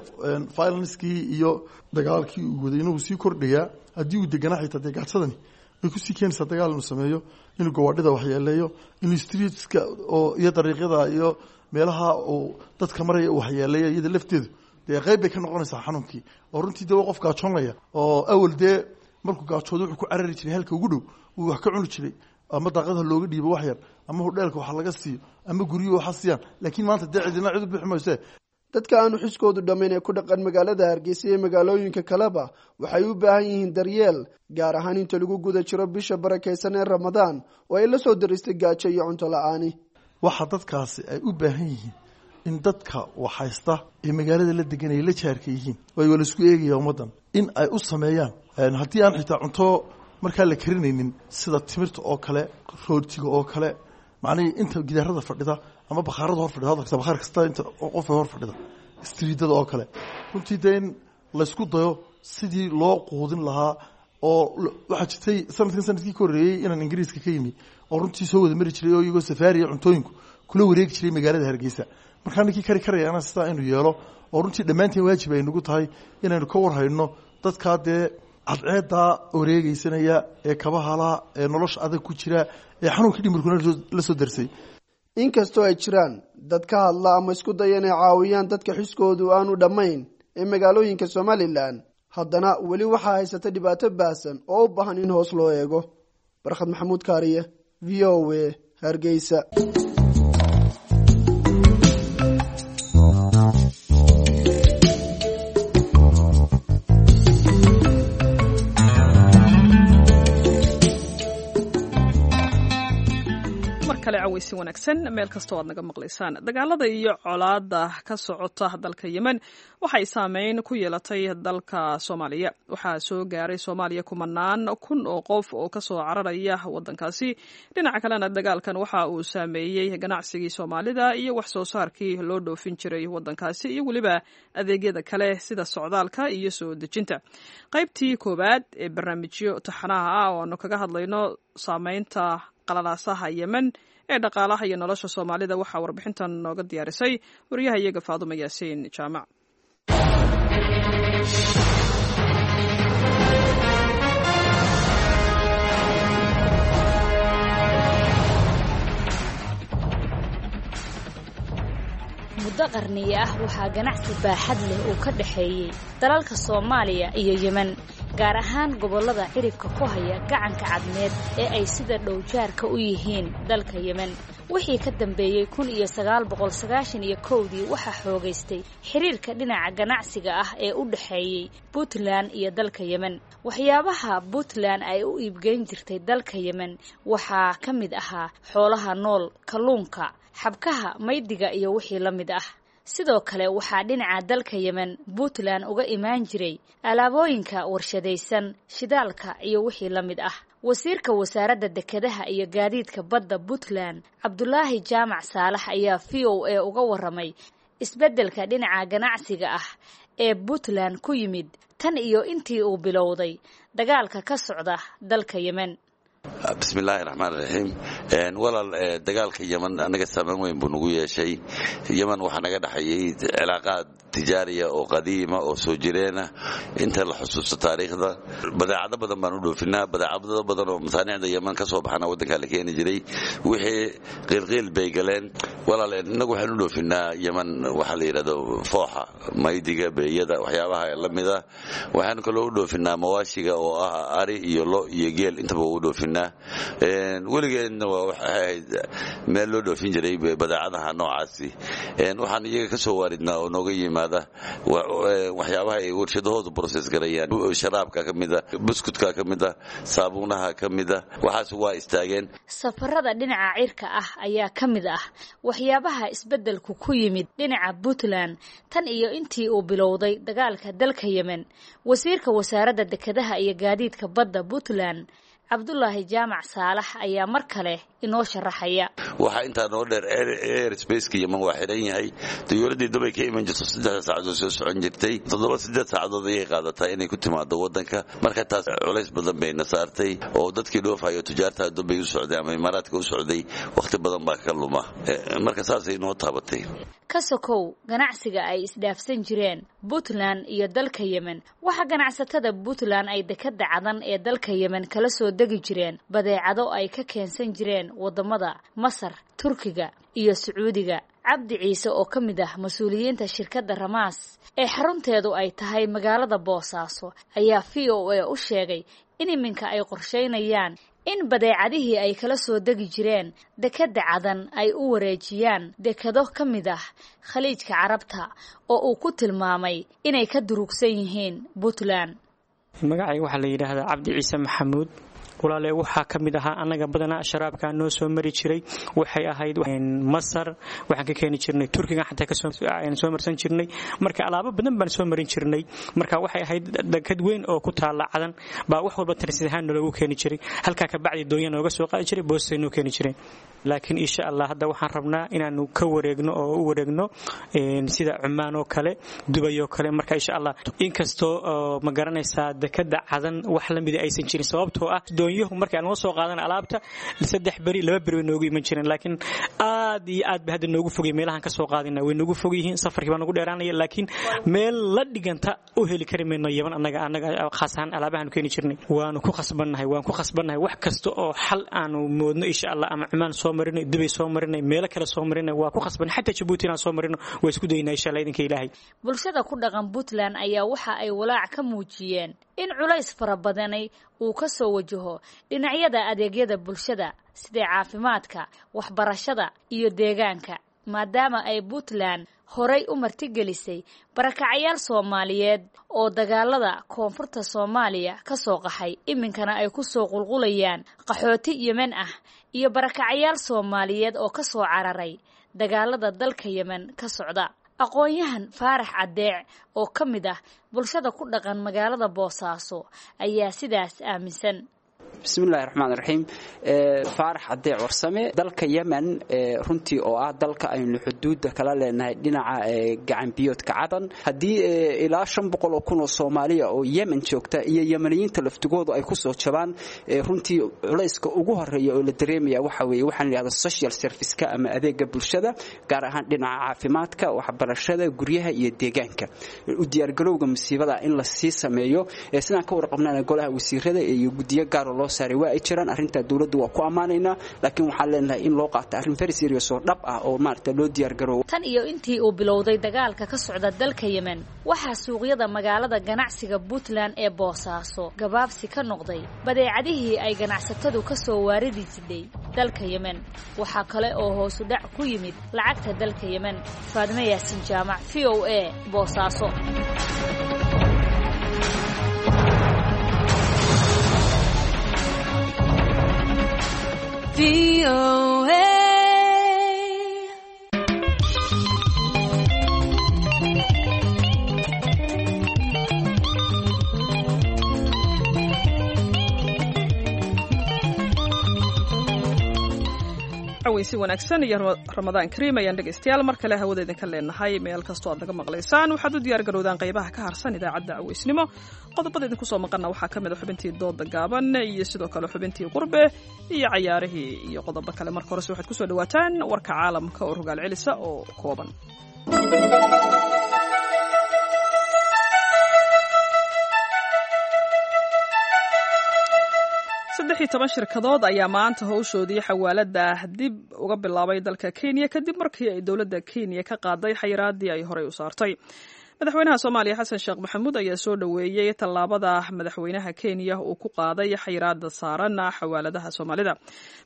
violencekii iyo dagaalkii uu waday inuu sii kordhayaa haddii uu deganaa. Xitaa dee gaajadani way kusii keenaysaa dagaal inuu sameeyo, inuu gawaadhida waxyeeleeyo, inuu streetska oo iyo dariiqyada iyo meelaha uu dadka maraya uu waxyeeleeyo. Iyada lafteedu dee qayb bay ka noqonaysaa xanuunkii. Oo runtii dee waa qof gaajoonaya oo awal dee markuu gaajoodo wuxuu ku carari jiray halka ugu dhow uu wax ka cuni jiray, ama daaqadaha looga dhiibo wax yar, ama hudheelka wax laga siiyo, ama guryuhu waxa siiyaan, laakiin maanta dee cidina cid u bixi mayse.
Dadka aanu xiskoodu dhammayn ee ku dhaqan magaalada Hargeysa iyo magaalooyinka kaleba waxay u baahan yihiin daryeel gaar ahaan inta lagu guda jiro bisha barakaysan ee Ramadaan oo ay la soo daristay gaajo iyo cunto la-aani.
Waxa dadkaasi ay u baahan yihiin in dadka waxhaysta ee magaalada la degan ay la jaarka yihiin, waayo waa laisku eegaya ummaddan, in ay u sameeyaan haddii aan xitaa cunto markaa la karinaynin, sida timirta oo kale, rootiga oo kale, macnihii inta gidaarada fadhida ama bakhaarada hor fadhida hadalkasta, bakhaar kasta inta qof hor fadhida, streetada oo kale, runtii dee in laysku dayo sidii loo quudin lahaa. Oo waxaa jirtay sanadkan sanadkii ka horreeyey inaan Ingiriiska ka yimi oo runtii soo wada mari jiray oo iyagoo safaariya cuntooyinku kula wareegi jiray magaalada Hargeysa. Markaa ninkii kari karayaana sidaa inuu yeelo, oo runtii dhammaanteen waajib ay nagu tahay inaynu ka warhayno dadkaa dee cadceeddaa wareegeysanaya ee kabahala ee nolosha adag ku jira ee xanuunka dhimirkuna la soo darsay.
Inkastoo ay jiraan dad ka hadla ama isku daya inay caawiyaan dadka xiskoodu aanu dhammayn ee magaalooyinka Somalilan, haddana weli waxaa haysata dhibaato baahsan oo u baahan in hoos loo eego. Barkhad Maxamuud Kaariye, V O A, Hargeysa.
Caweysi wanaagsan meel kastoo aad naga maqlaysaan. Dagaalada iyo colaada ka socota dalka Yemen waxay saameyn ku yeelatay dalka Soomaaliya. Waxaa soo gaaray Soomaaliya kumanaan kun oo qof oo kasoo cararaya wadankaasi. Dhinaca kalena dagaalkan waxa uu saameeyey ganacsigii Soomaalida iyo wax soo saarkii loo dhoofin jiray wadankaasi iyo weliba adeegyada kale sida socdaalka iyo soo dejinta. Qaybtii koowaad ee barnaamijyo taxanaha ah oo aanu kaga hadlayno saameynta qalalaasaha Yemen ee dhaqaalaha iyo nolosha Soomaalida waxaa warbixintan nooga diyaarisay wariyaha iyaga Faadumo Yaasiin Jaamac.
Muddo qarniye ah waxaa ganacsi baaxad leh uu ka dhexeeyey dalalka Soomaaliya iyo Yemen, gaar ahaan gobollada ciribka ku haya gacanka Cadmeed ee ay sida dhowjaarka u yihiin dalka Yemen. Wixii ka dambeeyey kun iyo sagaal boqol sagaashan iyo kowdii waxaa xoogaystay xiriirka dhinaca ganacsiga ah ee u dhexeeyey Puntland iyo dalka Yemen. Waxyaabaha Puntland ay u iibgeyn jirtay dalka Yemen waxaa ka mid ahaa xoolaha nool, kalluunka, xabkaha, maydiga iyo wixii la mid ah. Sidoo kale waxaa dhinaca dalka Yemen Puntland uga imaan jiray alaabooyinka warshadaysan, shidaalka iyo wixii la mid ah. Wasiirka wasaaradda dekedaha iyo gaadiidka badda Puntland, Cabdulaahi Jaamac Saalax, ayaa V O A uga warramay isbeddelka dhinaca ganacsiga ah ee Puntland ku yimid tan iyo intii uu bilowday dagaalka ka socda dalka Yemen.
Bismillaahi raxmaan raxiim. Walaal, dagaalka Yeman anaga saameyn weyn buu nagu yeeshay. Yeman waxaa naga dhexeeyey cilaaqaad tijaariya oo qadiima oo soo jireena inta la xusuusto taariikhda. Badeecado badan baan u dhoofinaa, badeecado badan oo masaanicda Yeman ka soo baxana waddankaa la keeni jiray. Wixii qiilqiil bay galeen. Walaal, innagu waxaan u dhoofinaa Yeman waxaa la yidhahdo fooxa, maydiga, beeyada, waxyaabaha la mida. Waxaan kaloo u dhoofinaa mawaashiga oo ah ari iyo lo iyo geel, intaba u dhoofinaa. Weligeedna waa waxay ahayd meel loo dhoofin jiray badeecadaha noocaasi. Waxaan iyaga ka soo waaridnaa oo nooga yimaada waxyaabaha ay warshadahoodu process garayaan, sharaabka ka mida, buskutka ka mida, saabuunaha ka mida. Waxaas waa istaageen.
Safarada dhinaca cirka ah ayaa ka mid ah waxyaabaha isbeddelku ku yimid dhinaca Puntland tan iyo intii uu bilowday dagaalka dalka Yemen. Wasiirka wasaaradda dekedaha iyo gaadiidka badda Puntland, Cabdulaahi Jaamac Saalax, ayaa mar kale inoo sharaxaya.
Waxaa intaa noo dheer, air spaceka Yeman waa xiran yahay. Diyuuraddii Dubay ka iman jirto saddexda saacadood soo socon jirtay, toddoba siddeed saacadood ayay qaadataa inay ku timaado waddanka. Marka taas culays badan bayna saartay oo dadkii dhoofayo tujaarta Dubay u socday ama Imaaraadka u socday wakhti badan baa ka luma. Marka saasay noo taabatay.
Ka sokow ganacsiga ay isdhaafsan jireen Puntland iyo dalka Yemen, waxaa ganacsatada Puntland ay dekadda Cadan ee dalka Yemen kala soo degi jireen badeecado ay ka keensan jireen waddamada Masar, Turkiga iyo Sacuudiga. Cabdi Ciise oo ka mid ah mas-uuliyiinta shirkadda Ramaas ee xarunteedu ay tahay magaalada Boosaaso ayaa V O A u sheegay in iminka ay qorsheynayaan in badeecadihii ay kala soo degi jireen dekadda Cadan ay u wareejiyaan dekado ka mid ah Khaliijka Carabta oo uu ku tilmaamay inay ka durugsan yihiin Puntland.
Magacayga waxaa la yidhaahdaa Cabdi Ciise Maxamuud. Walaale, waxaa ka mid ahaa annaga badanaa sharaabkaa noo soo mari jiray waxay ahayd Masar, waxaan ka keeni jirnay Turkiga, xataa kasoo soo marsan jirnay. Marka alaabo badan baan soo marin jirnay. Marka waxay ahayd dekad weyn oo ku taalla Cadan baa wax walba transit ahaan noogu keeni jiray. Halkaa ka bacdi doonya nooga soo qaadi jiray, boostay noo keeni jiray. Laakiin insha Allah hadda waxaan rabnaa inaanu ka wareegno oo u wareegno sida Cumaan oo kale, Dubay oo kale. Marka insha Allah, inkastoo ma garanaysaa dekada Cadan wax la mid aysan jirin, sababtoo ah doonyuhu markay noo soo qaadan alaabta saddex beri, laba beri way noogu iman jireen, laakiin aad iyo aad ba hadda noogu fogay. Meelahan ka soo qaadina way noogu fog yihiin, safarkii baa nagu dheeraanaya, laakiin meel la dhiganta u heli kari mayno Yaman. Annaga annaga khaas ahaan alaabahaanu keeni jirnay waanu ku khasbannahay, waan ku khasbannahay. Wax kasta oo xal aanu moodno insha Allah, ama Cumaan soo marinay, Dubay soo marinay, meelo kale soo marinay, waa ku khasban, xataa Jabuuti inaan soo marino waa isku daynaa insha Allah idinka Ilaahay.
Bulshada ku dhaqan Puntland ayaa waxa ay walaac ka muujiyeen in culays fara badanay uu ka soo wajaho dhinacyada adeegyada bulshada sida caafimaadka, waxbarashada iyo deegaanka, maadaama ay Puntland horay u martigelisay barakacayaal Soomaaliyeed oo dagaalada koonfurta Soomaaliya ka soo qaxay, iminkana ay ku soo qulqulayaan qaxooti Yemen ah iyo barakacayaal Soomaaliyeed oo ka soo cararay dagaalada dalka Yemen ka socda. Aqoon-yahan Faarax Caddeec oo ka mid ah bulshada ku dhaqan magaalada Boosaaso ayaa sidaas aaminsan.
Bismillahi raxmaan raxiim. Faarax Cadeec Warsame. Dalka Yemen runtii oo ah dalka aynu xuduudda kala leenahay dhinaca gacanbiyoodka Cadan, haddii ilaa shan boqol oo kun oo Soomaaliya oo Yemen joogta iyo Yemeniyiinta laftigoodu ay ku soo jabaan, runtii culayska ugu horeeya oo la dareemaya waxa weeye waxaan yidhahda social service-ka ama adeega bulshada, gaar ahaan dhinaca caafimaadka, waxbarashada, guryaha iyo deegaanka. U diyaargarowga musiibada in la sii sameeyo sidaan ka warqabnana golaha wasiirada iyo guddiyo gaar oo loo saaray waa ay jiraan. Arrintaa dowladdu waa ku ammaanaynaa, laakiin waxaan leenahay in loo qaato arrin very serious oo dhab ah oo maaragta loo diyaargaroobo.
Tan iyo intii uu bilowday dagaalka ka socda dalka Yemen, waxaa suuqyada magaalada ganacsiga Puntland ee Boosaaso gabaabsi ka noqday badeecadihii ay ganacsatadu ka soo waaridi jidhay dalka Yemen. Waxaa kale oo hoosu dhac ku yimid lacagta dalka Yemen. Faadime Yaasin Jaamac, V O A, Boosaaso. V O A.
Si wanaagsan iyo Ramadaan kariim ayaan dhegaystayaal mar kale hawada idinka leenahay meel kastoo aad naga maqlaysaan. Waxaad u diyaar garowdaan qaybaha ka harsan idaacadda caweysnimo. Qodobada idinku soo maqanna waxaa ka mid a xubintii dooda gaaban iyo sidoo kale xubintii qurbe iyo cayaarihii iyo qodobo kale. Marka horese waxaad kusoo dhawaataan warka caalamka oo rogaal celisa oo kooban. Saddex iyo toban shirkadood ayaa maanta howshoodii xawaalada dib uga bilaabay dalka Kenya kadib markii ay dowladda Kenya ka qaaday xayiraadii ay horey u saartay. Madaxweynaha Soomaaliya Xasan Sheekh Maxamuud ayaa soo dhoweeyey tallaabada madaxweynaha Kenya uu ku qaaday xayiraada saaran xawaaladaha Soomaalida.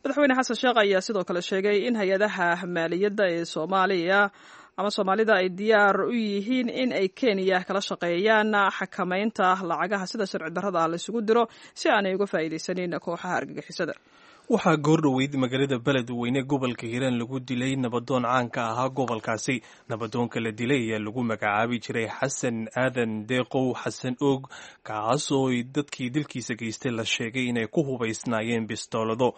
Madaxweyne Xasan Sheekh ayaa sidoo kale sheegay in hay-adaha maaliyadda ee Soomaaliya ama Soomaalida ay diyaar u yihiin in ay Kenya kala shaqeeyaan xakamaynta lacagaha sida sharci darrada ah la isugu diro si aanay uga faa'iidaysanin kooxaha argagixisada.
Waxaa goordhoweyd magaalada Beledweyne gobolka Hiiraan lagu dilay nabadoon caanka ahaa gobolkaasi. Nabadoonka la dilay ayaa lagu magacaabi jiray Xasan Aadan Deeqow Xasan Og, kaasoo dadkii dilkiisa geystay la sheegay inay ku hubaysnaayeen bistoolado.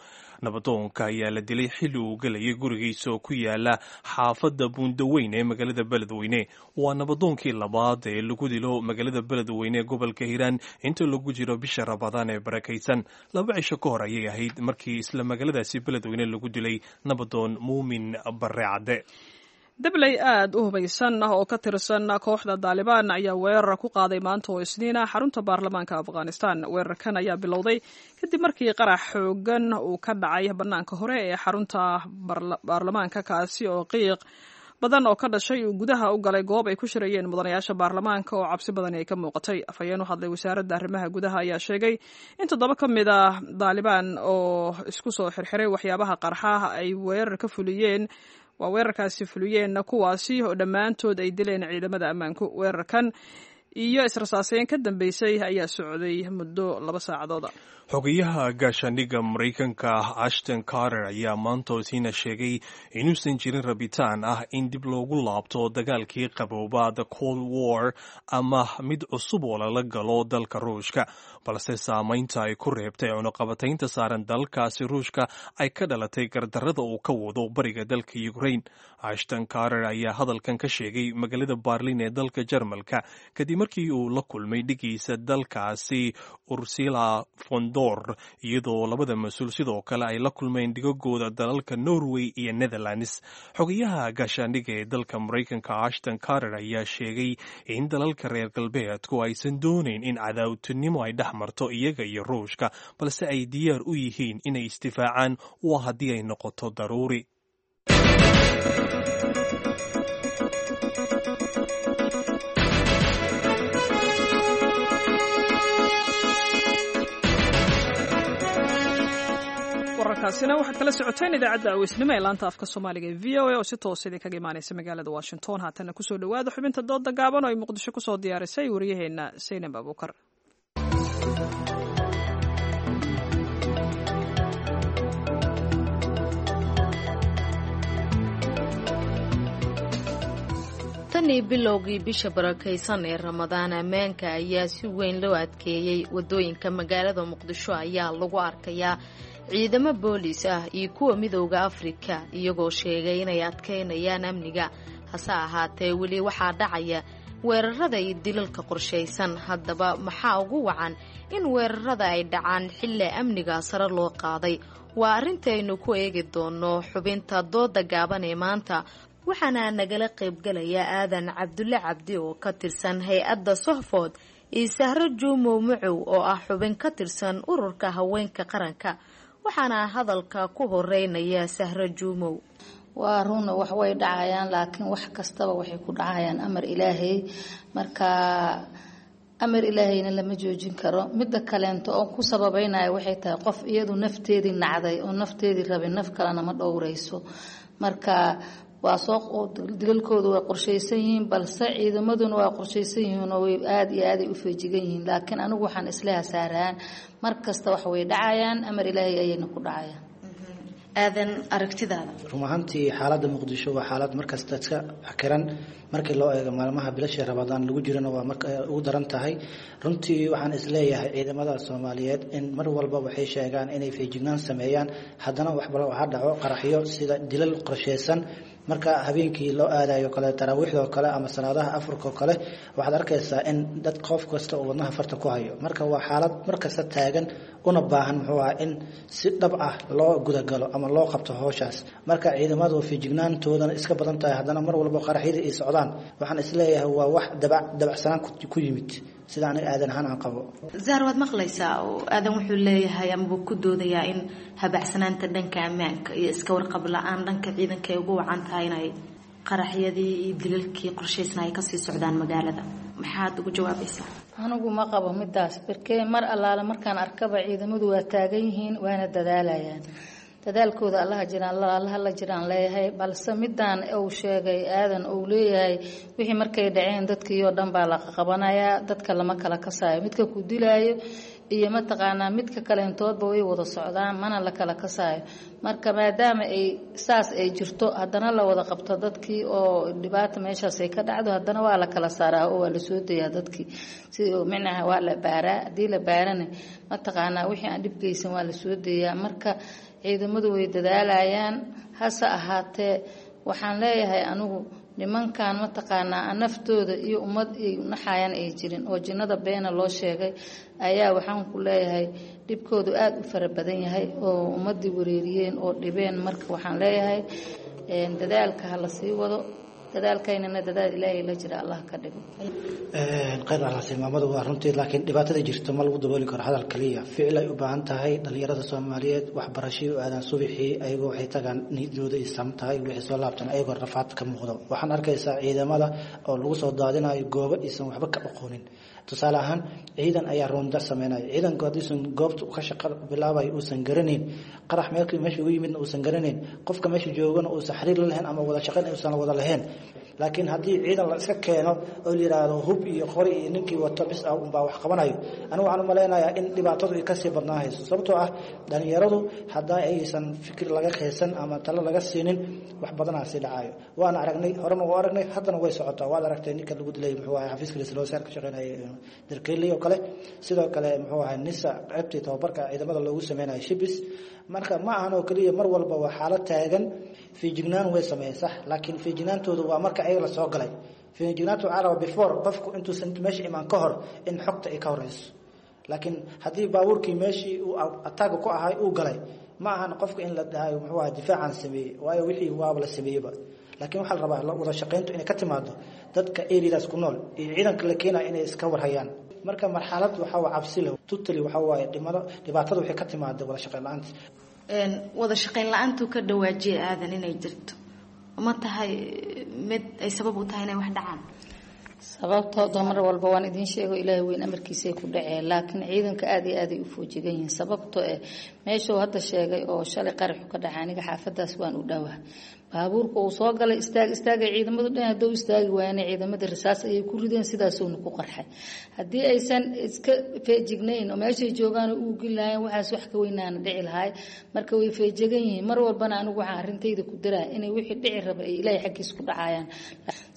Nabadoonka ayaa la dilay xilli uu gelayay gurigiisa oo ku yaala xaafadda Buundaweyn ee magaalada Beledweyne. Waa nabadoonkii labaad ee lagu dilo magaalada Beledweyne ee gobolka Hiiraan inta lagu jiro bisha Ramadaan ee barakaysan. Laba cisho ka hor ayay ahayd markii isla magaaladaasi Beledweyne lagu dilay nabadoon Muumin Barre Cadde.
Dabley aad u hubaysan ah oo ka tirsan kooxda Daalibaan ayaa weerar ku qaaday maanta oo Isniina xarunta baarlamaanka Afghanistan. Weerarkan ayaa bilowday kadib markii qarax xoogan uu ka dhacay bannaanka hore ee xarunta baarlamaanka, kaasi oo qiiq badan oo ka dhashay uu gudaha u galay goob ay ku shirayeen mudanayaasha baarlamaanka oo cabsi badani ay ka muuqatay. Afhayeen u hadlay wasaaradda arrimaha gudaha ayaa sheegay in toddoba ka mid ah Daalibaan oo isku soo xirxiray waxyaabaha qarxaha ay weerar ka fuliyeen waa weerarkaasi fuliyeen, kuwaasi oo dhammaantood ay dileen ciidamada ammaanku. Weerarkan iyo israsaaseyn ka dambeysay ayaa socday muddo laba saacadooda.
Xogayaha gaashaandhigga Maraykanka Ashton Carter ayaa maanta isiina sheegay inuusan jirin rabitaan ah in dib loogu laabto dagaalkii qabooba, the Cold War, ama mid cusub oo lala galo dalka Ruushka, balse saamaynta ay ku reebtay cunuqabataynta saaran dalkaasi Ruushka ay ka dhalatay gardarrada uu ka wado bariga dalka Ukraine. Ashton Carter ayaa hadalkan ka sheegay magaalada Berlin ee dalka Jarmalka kadib markii uu la kulmay dhigiisa dalkaasi Ursula von der, iyadoo labada mas-uul sidoo kale ay la kulmeen dhigagooda dalalka Norway iyo Netherlands. Xogayaha gaashaandhigga ee dalka Maraykanka Ashton Carter ayaa sheegay in dalalka reer galbeedku aysan doonayn in cadaawtinimo ay dhex marto iyaga iyo Ruushka, balse ay diyaar u yihiin inay isdifaacaan waa haddii ay noqoto daruuri.
Wararkaasina waxaad kala socoteen idaacadda aweysnimo ee laanta afka Soomaaliga ee V O A oo si toos idinkaga imaanaysa magaalada Washington. Haatana kusoo dhawaada xubinta dooda gaaban oo ay Muqdisho kusoo diyaarisay wariyaheenna Saynab Abuukar.
Tan Tanii bilowgii bisha barakaysan ee Ramadaan, ammaanka ayaa si weyn loo adkeeyey. Waddooyinka magaalada Muqdisho ayaa lagu arkayaa ciidamo booliis ah iyo kuwa Midowda Afrika, iyagoo sheegay inay adkaynayaan amniga. Hase ahaatee, weli waxaa dhacaya weerarada iyo dilalka qorshaysan. Haddaba, maxaa ugu wacan in weerarada ay dhacaan xilli amniga sare loo qaaday? Waa arrintaynu ku eegi doono xubinta dooda gaaban ee maanta, waxaana nagala qaybgalaya Aadan Cabdulle Cabdi oo ka tirsan hay-adda Sohfood iyo Sahro Juumow Macow oo ah xubin ka tirsan Ururka Haweenka Qaranka. Waxaana hadalka ku horeynaya Sahro Juumow.
Waa runa, wax way dhacayaan, laakiin wax kastaba waxay ku dhacayaan amar Ilaahay. Marka amar Ilaahayna lama joojin karo. Midda kaleento oo ku sababeynaya waxay tahay, qof iyadu nafteedii nacday oo nafteedii rabay, naf kalena ma dhowreyso. Marka waa soo dilalkoodu way qorshaysan yihiin, balse ciidamaduna waa qorshaysan yihiin oo way aada iyo aaday u feejigan yihiin. Laakiin anigu waxaan isleeha saaraan, mar kasta wax way dhacayaan, amar Ilaahay ayayna ku dhacayaan.
Aadan, aragtidaada?
Run ahaantii, xaaladda Muqdisho waa xaalad markasta iska xiran. Markii loo eego maalmaha bilasha Ramadaan lagu jirana, waa marka ugu daran tahay. Runtii waxaan isleeyahay ciidamada Soomaaliyeed in mar walba waxay sheegaan inay feejignaan sameeyaan, haddana waxba waxaa dhaco qaraxyo sida dilal qorsheysan. Marka habeenkii loo aadayo kale, taraawiixdoo kale ama salaadaha afurka oo kale, waxaad arkaysaa in dad qof kasta uu wadnaha farta ku hayo. Marka waa xaalad markasta taagan, una baahan muxuu aha in si dhab ah loo gudagalo ama loo qabto howshaas. Marka ciidamadu feejignaantoodana iska badan tahay, haddana mar walba qaraxyada ay socdaan, waxaan isleeyahay waa wax dabac dabacsanaan ku yimid, sida aniga Aadan ahaan aan qabo.
Zahar, waad maqlaysaa oo Aadan wuxuu leeyahay amabuu ku doodayaa in habacsanaanta dhanka ammaanka iyo iska warqab la-aan dhanka ciidanka ay ugu wacan tahay inay qaraxyadii iyo dilalkii qorshaysna ay kasii socdaan magaalada. Maxaad ugu jawaabaysaa?
Anigu ma qabo midaas, barkee mar allaale markaan arkaba ciidamadu waa taagan yihiin, waana dadaalayaan. Dadaalkooda Allaha jiraan, Allaha la jiraan leeyahay. Balse midaan uu sheegay Aadan uu leeyahay, wixii markay dhaceen dadkii oo dhan baa la qabanayaa, dadka lama kala kasaayo. Midka ku dilaayo iyo mataqaanaa midka kaleentoodba way wada socdaan, mana la kala kasaayo. Marka maadaama ay saas ay jirto, haddana la wada qabto dadkii oo dhibaata meeshaas ay ka dhacdo, haddana waa la kala saaraa oo waa la soo dayaa dadkii, si micnaha waa la baaraa. Haddii la baarana, mataqaanaa wixii aan dhib geysan waa la soo dayaa. Marka ciidamadu way dadaalayaan, hase ahaatee waxaan leeyahay anigu nimankan mataqaanaa naftooda iyo ummad ay naxayaan ay jirin oo jinnada beena loo sheegay ayaa waxaan ku leeyahay dhibkoodu aada u fara badan yahay oo ummadii wareeriyeen oo dhibeen. Marka waxaan leeyahay dadaalka ha la sii wado, dadaalkaynana dadaal Ilaahay la jira Allah ka dhigo.
Khayr alhasi maamadu waa runtii, laakiin dhibaatada jirta ma lagu dabooli karo hadal kaliya, ficil ay u baahan tahay. Dhalinyarada Soomaaliyeed waxbarashay u aadaan subaxii, ayagoo waxay tagaan niyadooda ay sam tahay, wixii soo laabtan ayagoo rafaad ka muuqdo. Waxaan arkaysaa ciidamada oo lagu soo daadinayo goobo aysan waxba ka aqoonin. Tusaale ahaan, ciidan ayaa roonda sameynaya. Ciidanku haddiisan goobta ka shaqa bilaabayo uusan garanayn, qarax meelkii meesha ugu yimidna uusan garanayn, qofka meesha joogana uusan xiriir la lahayn ama wada shaqayn uusan wada lahayn. Laakiin haddii ciidan la iska keeno oo la yidhaahdo hub iyo qori iyo ninkii wato bis ah unbaa wax qabanayo, anigu waxaan u malaynayaa in dhibaatadu ay kasii badnaahayso, sababtoo ah dhalinyaradu haddaa aysan fikir laga kheysan ama talo laga siinin, wax badanaa sii dhacayo. Waana aragnay, horena waa aragnay, haddana way socotaa. Waad aragtay ninka lagu dilay muxuu ahay xafiiska ra'iisul wasaar ka shaqeynayay Darkeeley oo kale, sidoo kale muxuu ahay Nisa qaybtii tababarka ciidamada loogu sameynayo Shibis. Marka ma ahan oo keliya, mar walba waa xaalad taagan. Feejignaan way sameeyeen, sax, laakiin feejignaantoodu waa marka ayaga la soo galay. Feejignaantu waxaa rabaa before qofku intuusan meesha imaan ka hor in xogta ay ka horeyso. Laakiin haddii baabuurkii meeshii uu ataaga ku ahay uu galay, ma ahan qofka in la dhahayo muxuu ahay difaacaan sameeyey, waayo wixii waaba la sameeyeyba. Laakiin waxaa la rabaa wada shaqayntu inay ka timaado dadka areadaas ku nool iyo ciidanka la keenaya inay iska warhayaan. Marka marxalad waxaa waa cabsi leh tutali, waxaa waaye dhimado dhibaatada waxay ka timaada wada shaqayn la-aanta.
Wada shaqayn la-aantuu ka dhawaajiya Aadan inay jirto, ma tahay mid ay sabab u tahay inay wax dhacaan?
Sababtooda mar walba waan idiin sheego, Ilaahay weyn amarkiisay ku dhaceen, laakiin ciidanka aada iyo aaday u foojigan yihiin. Sababtoo eh meeshuu hadda sheegay oo shalay qaraxu ka dhacay, aniga xaafadaas waan u dhowaa. Baabuurka uu soo galay, istaag istaagay ciidamadu dhan, hadduu istaagi waayana ciidamada rasaas ayay ku rideen, sidaasuuna ku qarxay. Haddii aysan iska feejignayn oo meeshay joogaan uu geli lahayn, waxaas wax ka weynaana dhici lahay. Marka way feejigan yihiin mar walbana. Anigu waxaan arrintayda ku daraa inay wixii dhici raba ay Ilaahay xaggiisa ku dhacayaan.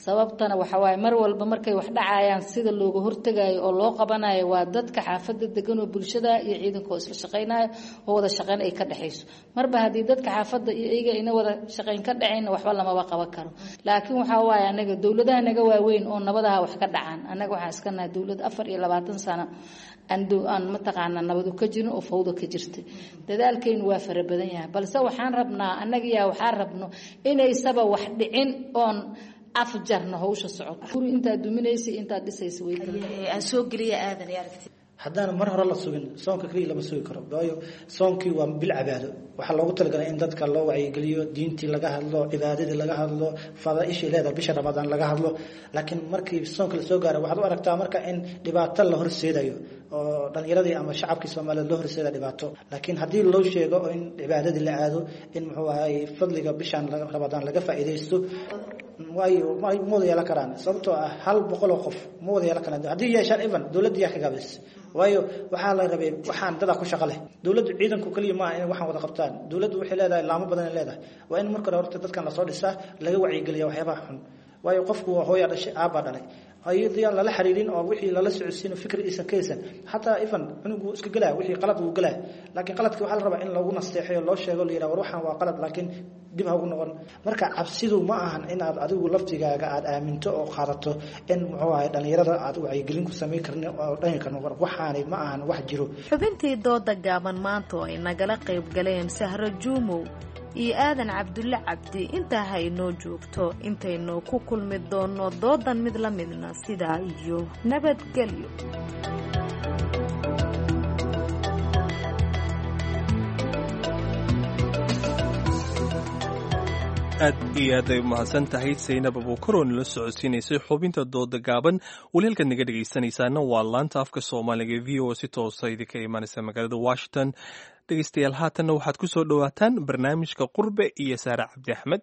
Sababtana waxa waaye, mar walba markay wax dhacayaan, sida looga hortagayo oo loo qabanayo waa dadka xaafadda degan oo bulshada iyo ciidanka oo isla shaqaynayo oo wada shaqayn ay ka dhexayso. Marba haddii dadka xaafadda iyo iyaga ina wada shaqayn ka dhacayn, waxba lamaba qaban karo. Laakiin waxaa waaye, anaga dowladaha naga waaweyn oo nabadaha wax ka dhacaan, annaga waxaan iska nahay dowlad afar iyo labaatan sano aan aan mataqaanaa nabadu ka jirin oo fawda ka jirta. Dadaalkaynu waa fara badan yahay, balse waxaan rabnaa annagiyaa waxaan rabno inaysaba wax dhicin oon afjarno hawsha socoto. Guri intaad duminaysa, intaad dhisaysa way
aan soo geliya. Aadan iyo aragti.
Haddaan mar hore la sugin soonka keliya lama sugi karo, waayo soonkii waa bil cibaado. Waxaa loogu talagalay in dadka loo wacyigeliyo, diintii laga hadlo, cibaadadii laga hadlo, fadaaishii leedahay bisha Ramadaan laga hadlo. Laakiin markii soonka lasoo gaaro, waxaad u aragtaa marka in dhibaato la horseedayo oo dhalinyaradii ama shacabkii Soomaaliyeed loo horseeda dhibaato. Laakiin haddii loo sheego in cibaadadii la aado, in muxuu ahay fadliga bishan Ramadaan laga faa'iidaysto, waayo ma wada yeelan karaan, sababtoo ah hal boqol oo qof ma wada yeelan karaan. Haddii yeeshaan, even dowladda yaa ka gaabis, waayo waxaa la rabay waxaan dadaa ku shaqo leh. Dowladdu ciidanku keliya maaha inay waxaan wada qabtaan. Dowladdu waxay leedahay laamo badan ay leedahay. Waa in marka hore horta dadkan lasoo dhisaa, laga wacyigeliya waxyaabaha xun, waayo qofku waa hooyaa dhashay, aabbaa dhalay. Ayadii aan lala xiriirin oo wixii lala socodsiin fikir iisan ka haysan, xataa even cunugu iska gelaya wixii qalad wuu gelaya. Laakiin qaladkii waxaa la rabaa in loogu nasteexeeyo, loo sheego, la yidhaha war waxaan waa qalad, laakiin dib ha ugu noqon. Marka cabsidu ma ahan inaad adigu laftigaaga aad aaminto oo qaadato in muxuu ahay dhalinyarada aad wacyigelin ku samayn karni oo dhahi karno war waxaani ma ahan wax jiro.
Xubintii dooda gaaban maanta oo ay nagala qayb galeen Sahro Juumow iyo Aadan Cabdulle Cabdi intaa ha inoo joogto. Intaynu ku kulmi doonno doodan mid la midna, sidaa iyo nabadgelyo.
Aad iyo aad ay umahadsan tahay Saynab Abuukar oo nala socodsiinaysay xubinta dooda gaaban. Weli halkaad naga dhegaysanaysaana waa laanta afka Soomaaliga V O, si toosa idinka imaanaysa magaalada Washington. Dhegaystayaal, haatanna waxaad ku soo dhowaataan barnaamijka Qurbe iyo Saare Cabdi Axmed.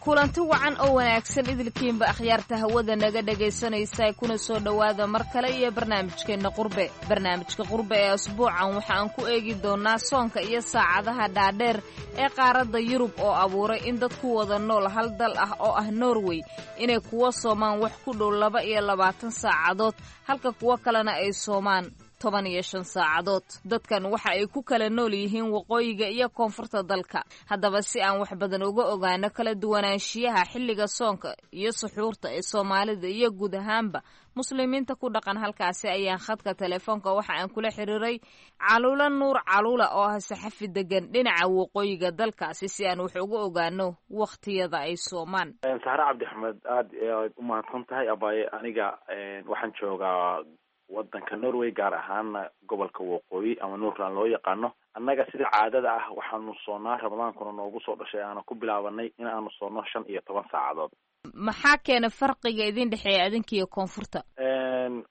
Kulanti wacan oo wanaagsan idilkiinba akhyaarta hawada naga dhegaysanaysa, kuna soo dhowaada mar kale iyo barnaamijkeenna Qurbe. Barnaamijka Qurbe ee asbuucan waxa aan ku eegi doonnaa soonka iyo saacadaha dhaadheer ee qaaradda Yurub oo abuuray in dadku wada nool hal dal ah oo ah Norway inay kuwa soomaan wax ku dhow laba iyo labaatan saacadood, halka kuwo kalena ay soomaan toban iyo shan saacadood. Dadkan waxa ay ku kala nool yihiin waqooyiga iyo koonfurta dalka. Haddaba, si aan wax badan uga ogaano kala duwanaanshiyaha xilliga soonka iyo suxuurta ee Soomaalida iyo guud ahaanba muslimiinta ku dhaqan halkaasi, ayaan khadka telefoonka waxa aan kula xiriiray Caluula Nuur Caluula oo ah saxafi degan dhinaca waqooyiga dalkaasi, si aan wax uga ogaano wakhtiyada ay soomaan.
Saxre Cabdi Axmed, aada aad u mahadsan tahay abaaye. Aniga waxaan joogaa wadanka Norway, gaar ahaana gobolka waqooyi ama Northland loo yaqaano. Annaga sida caadada ah waxaanu soonnaa, Ramadaankuna noogu soo dhashay aana ku bilaabanay in aanu soonno shan iyo toban saacadood.
Maxaa keena farqiga idin dhexeeya adinka iyo koonfurta?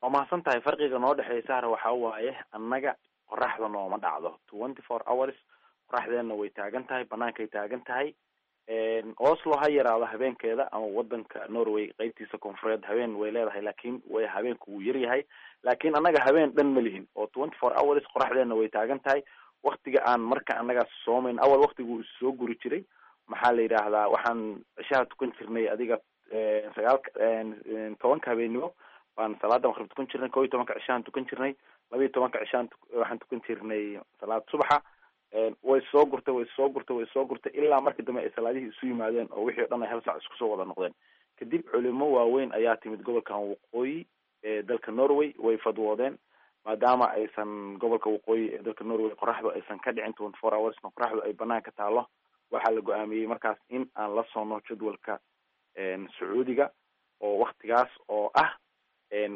Waa mahadsan tahay. Farqiga noo dhexeeya, Sahra, waxaa waaye annaga qoraxda nooma dhacdo twenty four hours. Qoraxdeenna way taagan tahay, banaankay taagan tahay. Oslo ha yaraado habeenkeeda ama wadanka Norway qeybtiisa koonfureed habeen way leedahay, laakiin way habeenku wuu yaryahay. Laakiin annaga habeen dhan ma lihin oo twenty four hours qoraxdeenna way taagan tahay. Waktiga aan marka annaga soomayn, awal waktigu soo guri jiray, maxaa la yidhaahdaa, waxaan cishaha tukan jirnay adiga sagaalka tobanka habeennimo baan salaada maqrib tukan jirnay, kow iyo tobanka cishahan tukan jirnay, laba iyo tobanka cishaan waxaan tukan jirnay salaad subaxa. Way soo gurtay, way soo gurtay, way soo gurtay, ilaa markii dambe ay salaadihii isu yimaadeen oo wixii o dhan ay hal saac isku soo wada noqdeen. Kadib culimo waaweyn ayaa timid gobolkan waqooyi ee dalka Norway, way fadwoodeen maadaama aysan gobolka waqooyi ee dalka Norway qoraxdu aysan ka dhicin twenty four hoursna, qoraxdu ay banaanka taalo. Waxaa la go-aamiyey markaas in aan la soono jadwalka Sacuudiga oo waktigaas oo ah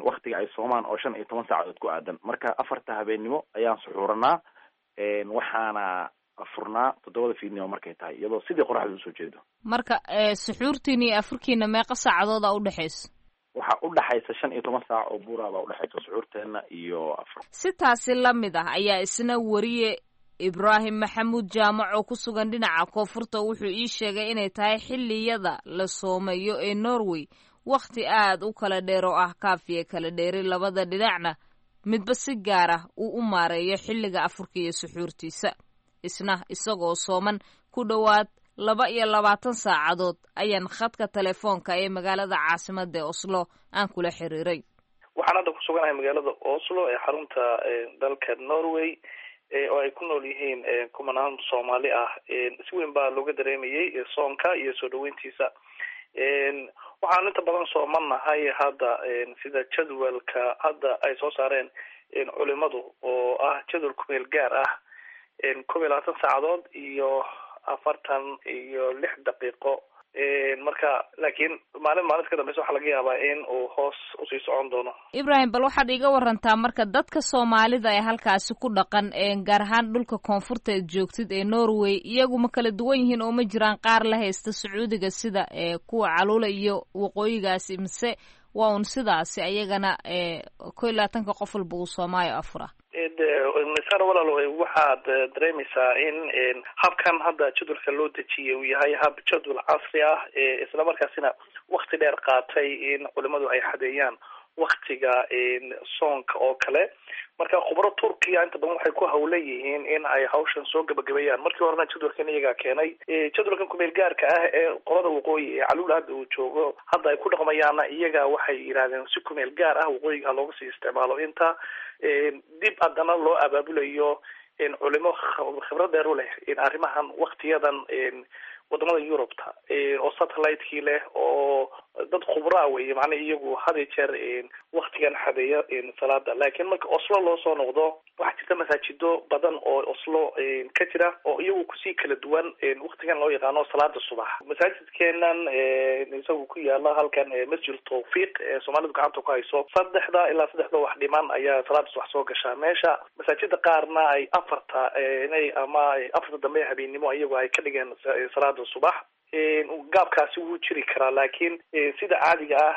waktiga ay soomaan oo shan iyo toban saacadood ku aadan. Marka afarta habeennimo ayaan suxuuranaa, waxaana afurnaa toddobada fiidnimo markay tahay, iyadoo sidii qoraxda usoo jeedo.
Marka suxuurtiina iyo afurkiina meeqa saacadooda udhexaysa?
Waxaa udhaxaysa shan iyo toban saac oo buuraabaa udhexaysa suxuurteena iyo afur.
Si taasi la mid ah ayaa isna wariye Ibraahim Maxamuud Jaamac oo ku sugan dhinaca koonfurta wuxuu ii sheegay inay tahay xilliyada la soomayo ee Norway wakhti aad u kala dheer oo ah kaafiya kala dheeri, labada dhinacna Midba si gaar ah uu u maareeyo xilliga afurka iyo suxuurtiisa. Isna isagoo sooman ku dhowaad laba iyo labaatan saacadood ayaan khadka telefoonka ee magaalada caasimadda ee Oslo aan kula xiriiray.
Waxaan hadda ku suganahay magaalada Oslo ee xarunta dalka Norway, oo ay ku nool yihiin kumanaan Soomaali ah. Si weyn baa looga dareemayay soonka iyo soo dhaweyntiisa. Waxaan inta badan soomannahay hadda sida jadwalka hadda ay soo saareen culimadu, oo ah jadwal kumeel gaar ah, kob iyo labaatan saacadood iyo afartan iyo lix daqiiqo. Marka laakiin maalin maalinta ka dambeysa waxaa laga yaabaa in uu hoos usii socon doono.
Ibrahim, bal waxaad iiga warantaa marka dadka Soomaalida ee halkaasi ku dhaqan, gaar ahaan dhulka koonfurta eed joogtid ee Norway, iyagu ma kala duwan yihiin oo ma jiraan qaar la haysta Sacuudiga sida kuwa Caluula iyo waqooyigaasi, mise waa un sidaasi ayagana ko iyo labaatanka qof walba uu soomaayo afura?
Sar walaal, waxaad dareemaysaa in habkan hadda jadwalka loo dejiyay uu yahay hab jadwal casri ah, isla markaasina wakti dheer qaatay in culimadu ay xadeeyaan waktiga soonka oo kale. Marka khubro Turkiya inta badan waxay ku hawlan yihiin in ay hawshan soo gabagabeeyaan. Markii horena jadwalkan iyagaa keenay, jadwalkan kumeel gaarka ah ee qolada waqooyi ee Caluul hadda uu joogo hadda ay ku dhaqmayaanna iyaga waxay yidhahdeen si kumeel gaar ah waqooyiga ha looga sii isticmaalo inta dib haddana loo abaabulayo culimo khibrad dheer u leh arrimahan waktiyadan wadamada Yurubta, oo satellite-kii leh oo dad khubraa wey, macnaa iyagu had iyo jeer waktigan xadeeya salaada. Laakiin marka Oslo loo soo noqdo, waxaa jirta masaajido badan oo Oslo ka jira oo iyagu kusii kala duwan waktigan loo yaqaano salaada subax. Masaajidkeenan isagu ku yaala halkan, Masjid Tawfiiq ee Soomaalidu gacanta ku hayso, saddexda ilaa saddexda wax dhiman ayaa salaada subax soo gashaa, meesha masaajida qaarna ay afarta inay ama afarta dambe habeennimo iyagu ay ka dhigeen salaada subax. Gaabkaasi wuu jiri karaa, laakiin sida caadiga ah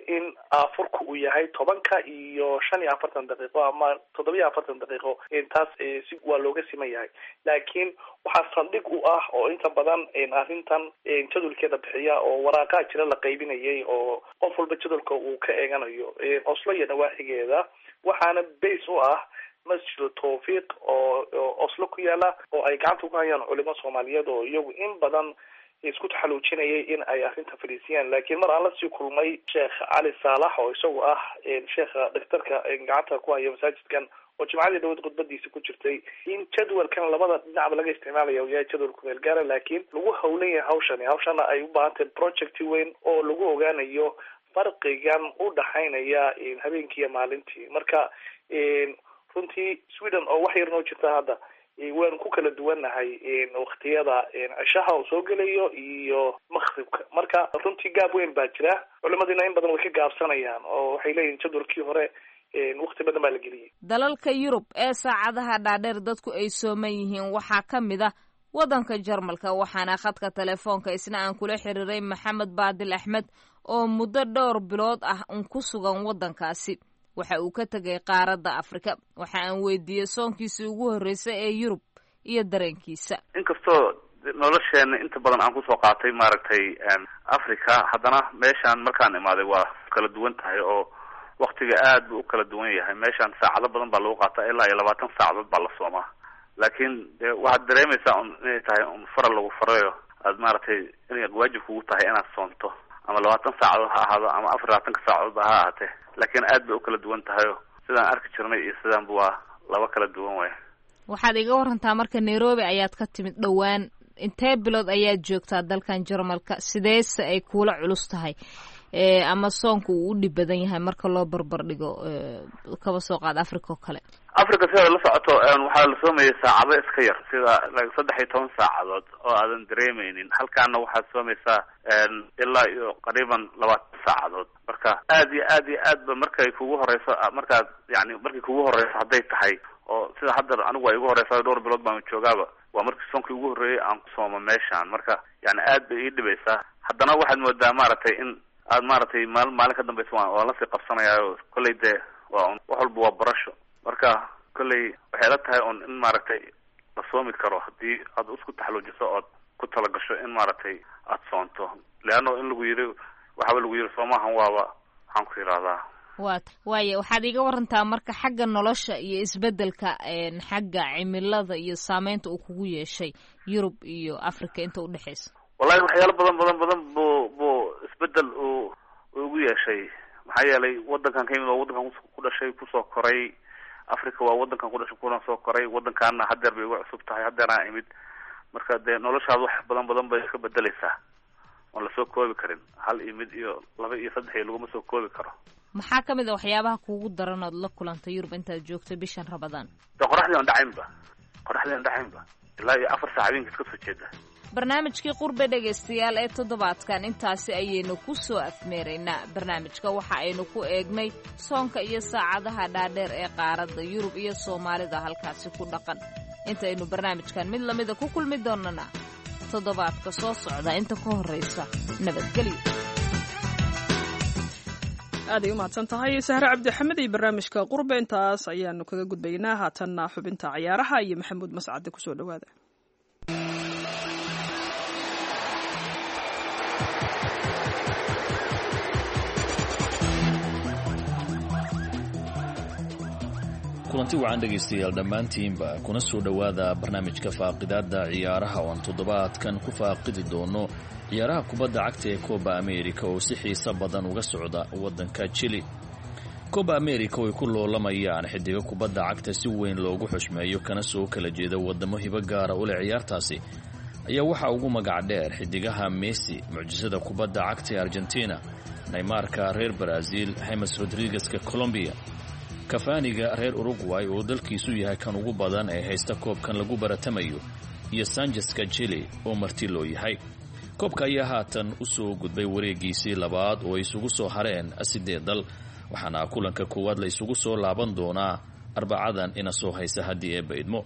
in aafurku uu yahay tobanka iyo shan iyo afartan daqiiqo ama toddoba iyo afartan daqiiqo, taas si waa looga siman yahay. Laakiin waxaa saldhig u ah oo inta badan arrintan jadwalkeeda bixiya oo waraaqaa jira la qaybinayay oo qof walba jadwalka uu ka eeganayo Oslo iyo nawaaxigeeda, waxaana base u ah Masjid Tawfiiq oo Oslo ku yaala oo ay gacanta ku hayaan culimo Soomaaliyeed oo iyagu in badan isku taxaluujinayay in ay arrinta fadhiisiyaan. Laakiin mar aan lasii kulmay Sheekh Cali Saalax oo isagu ah sheekha dhakhtarka gacanta ku haya masaajidkan, oo jimcadii dhaweyd khudbadiisa ku jirtay in jadwalkan labada dhinacba laga isticmaalaya uu yahay jadwal kumeel gaara, laakiin lagu hawlan yahay hawshani. Hawshana ay u baahan tahay project weyn oo lagu ogaanayo farqigan u dhaxaynaya habeenkii iyo maalintii. Marka runtii Sweden oo wax yar noo jirta hadda waanu ku kala duwannahay waktiyada cishaha uu soo gelayo iyo maqribka. Marka runtii gaab weyn baa jira, culimadiina in badan way ka gaabsanayaan oo waxay leeyihin jadwalkii hore wakti badan baa la geliyay.
Dalalka Yurub ee saacadaha dhaadheer dadku ay sooman yihiin waxaa ka mid ah waddanka Jarmalka, waxaana khadka telefoonka isna aan kula xiriiray Maxamed Baadil Axmed oo muddo dhowr bilood ah un ku sugan waddankaasi. Waxa uu ka tegay qaaradda Afrika. Waxa aan weydiiyey soonkiisii ugu horreysay ee Yurub iyo dareenkiisa.
Inkastoo nolosheena inta badan aan kusoo qaatay maaragtay Africa, haddana meeshaan markaan imaaday waa kala duwan tahay oo waktiga aad buu u kala duwan yahay. Meeshaan saacado badan baa lagu qaataa, ilaa iyo labaatan saacadood baa la soomaa. Laakiin de waxaad dareemaysaa un inay tahay un faral lagu farayo, aad maaragtay inay waajib kugu tahay inaad soonto, ama labaatan saacadood ha ahaado ama afar labaatanka saacadoodba ha ahaatee. Laakiin aad bay u kala duwan tahayo sidaan arki jirnay iyo sidaanba waa laba kala duwan way.
Waxaad iga warantaa marka Nairobi ayaad ka timid dhowaan, intee bilood ayaad joogtaa dalkan Jarmalka, sideese ay kuula culus tahay ama soonka uu u dhib badan yahay marka loo barbar dhigo kaba soo qaad Africa oo kale?
Africa sidaad la socoto waxaa la soomayay saacado iska yar, sida saddex iyo toban saacadood oo aadan dareemeynin. Halkaana waxaad soomaysaa ilaa iyo qariiban labaatan saacadood. Marka aad iyo aad iyo aad ba markay kugu horeyso, markaad yani markay kugu horeyso hadday tahay oo sida hadda anigu waa igu horeysa, dhowr bilood baan joogaaba, waa markii soonkii ugu horreeyay aan ku soomo meeshaan. Marka yani aad bay ii dhibaysaa. Haddana waxaad moodaa maaragtay in aad maaragtay maal maalin ka dambeysa waan waan lasii qabsanayaayo. Kolley dee waa un wax walba waa barasho. Marka kolley waxay la tahay un in maaragtay la soomi karo haddii aad isku taxaluujiso ood ku talagasho in maaragtay aada soonto. Leanno in lagu yiri waxaaba lagu yiri soomahan waaba waxaan ku yidhahdaa
Waa waaye, waxaad iiga warantaa marka xagga nolosha iyo isbedelka xagga cimilada iyo saameynta uu kugu yeeshay Yurub iyo Africa inta udhexeysa.
Wallahi waxyaalo badan badan badan buu buu isbedel uu ugu yeeshay, maxaa yeelay wadankan ka yimid waa wadankan ku dhashay, kusoo koray. Africa waa wadankan ku dhashay kuna soo koray, wadankaana hadeer bay igu cusub tahay, hadeeraan imid. Marka dee noloshaada wax badan badan bay iska bedeleysaa oon lasoo koobi karin, hal iyo mid iyo laba iyo saddex iyo laguma soo koobi karo.
Maxaa ka mid a waxyaabaha kuugu daran ood la kulantay Yurub intaad joogtay bishan Ramadaan?
De qoraxdii aan dhacaynba, qoraxdii aan dhacaynba ilaa iyo afar saac habeenka iska soo jeeda.
Barnaamijkii Qurbe dhegaystayaal ee toddobaadkan intaasi ayaynu ku soo afmeeraynaa. Barnaamijka waxa aynu ku eegnay soonka iyo saacadaha dhaadheer ee qaaradda Yurub iyo Soomaalida halkaasi ku dhaqan. Intaynu barnaamijkan mid lamida ku kulmi doonana toddobaadka soo socda, inta ka horraysa nabadgelyo.
Aaday u mahadsan tahay Sahre Cabdixamed iyo barnaamijka Qurbe, intaas ayaanu kaga gudbaynaa. Haatanna xubinta cayaaraha iyo Maxamuud Mascade, kusoo dhowaada.
Kulanti wacan dhegaystayaal dhammaantiinba, kuna soo dhowaada barnaamijka faaqidaadda ciyaaraha oo aan toddobaadkan ku faaqidi doono ciyaaraha kubadda cagta ee Coba America oo si xiiso badan uga socda waddanka Chili. Coba America oo ay ku loolamayaan xidigo kubadda cagta si weyn loogu xushmeeyo kana soo kala jeeda waddamo hibo gaara u leh ciyaartaasi ayaa waxaa ugu magac dheer xidigaha Messi, mucjisada kubadda cagta ee Argentina, Neymarka reer Brazil, James Rodriguezka Colombia, Kafaniga reer Uruguay oo dalkiisu yahay kan ugu badan ee haysta koobkan lagu baratamayo, iyo Sancheska Chile oo marti loo yahay. Koobka ayaa haatan u soo gudbay wareegiisii labaad oo ay isugu soo hareen siddeed dal, waxaana kulanka koowaad la isugu soo laaban doonaa Arbacadan ina soo haysa haddii eebba idmo.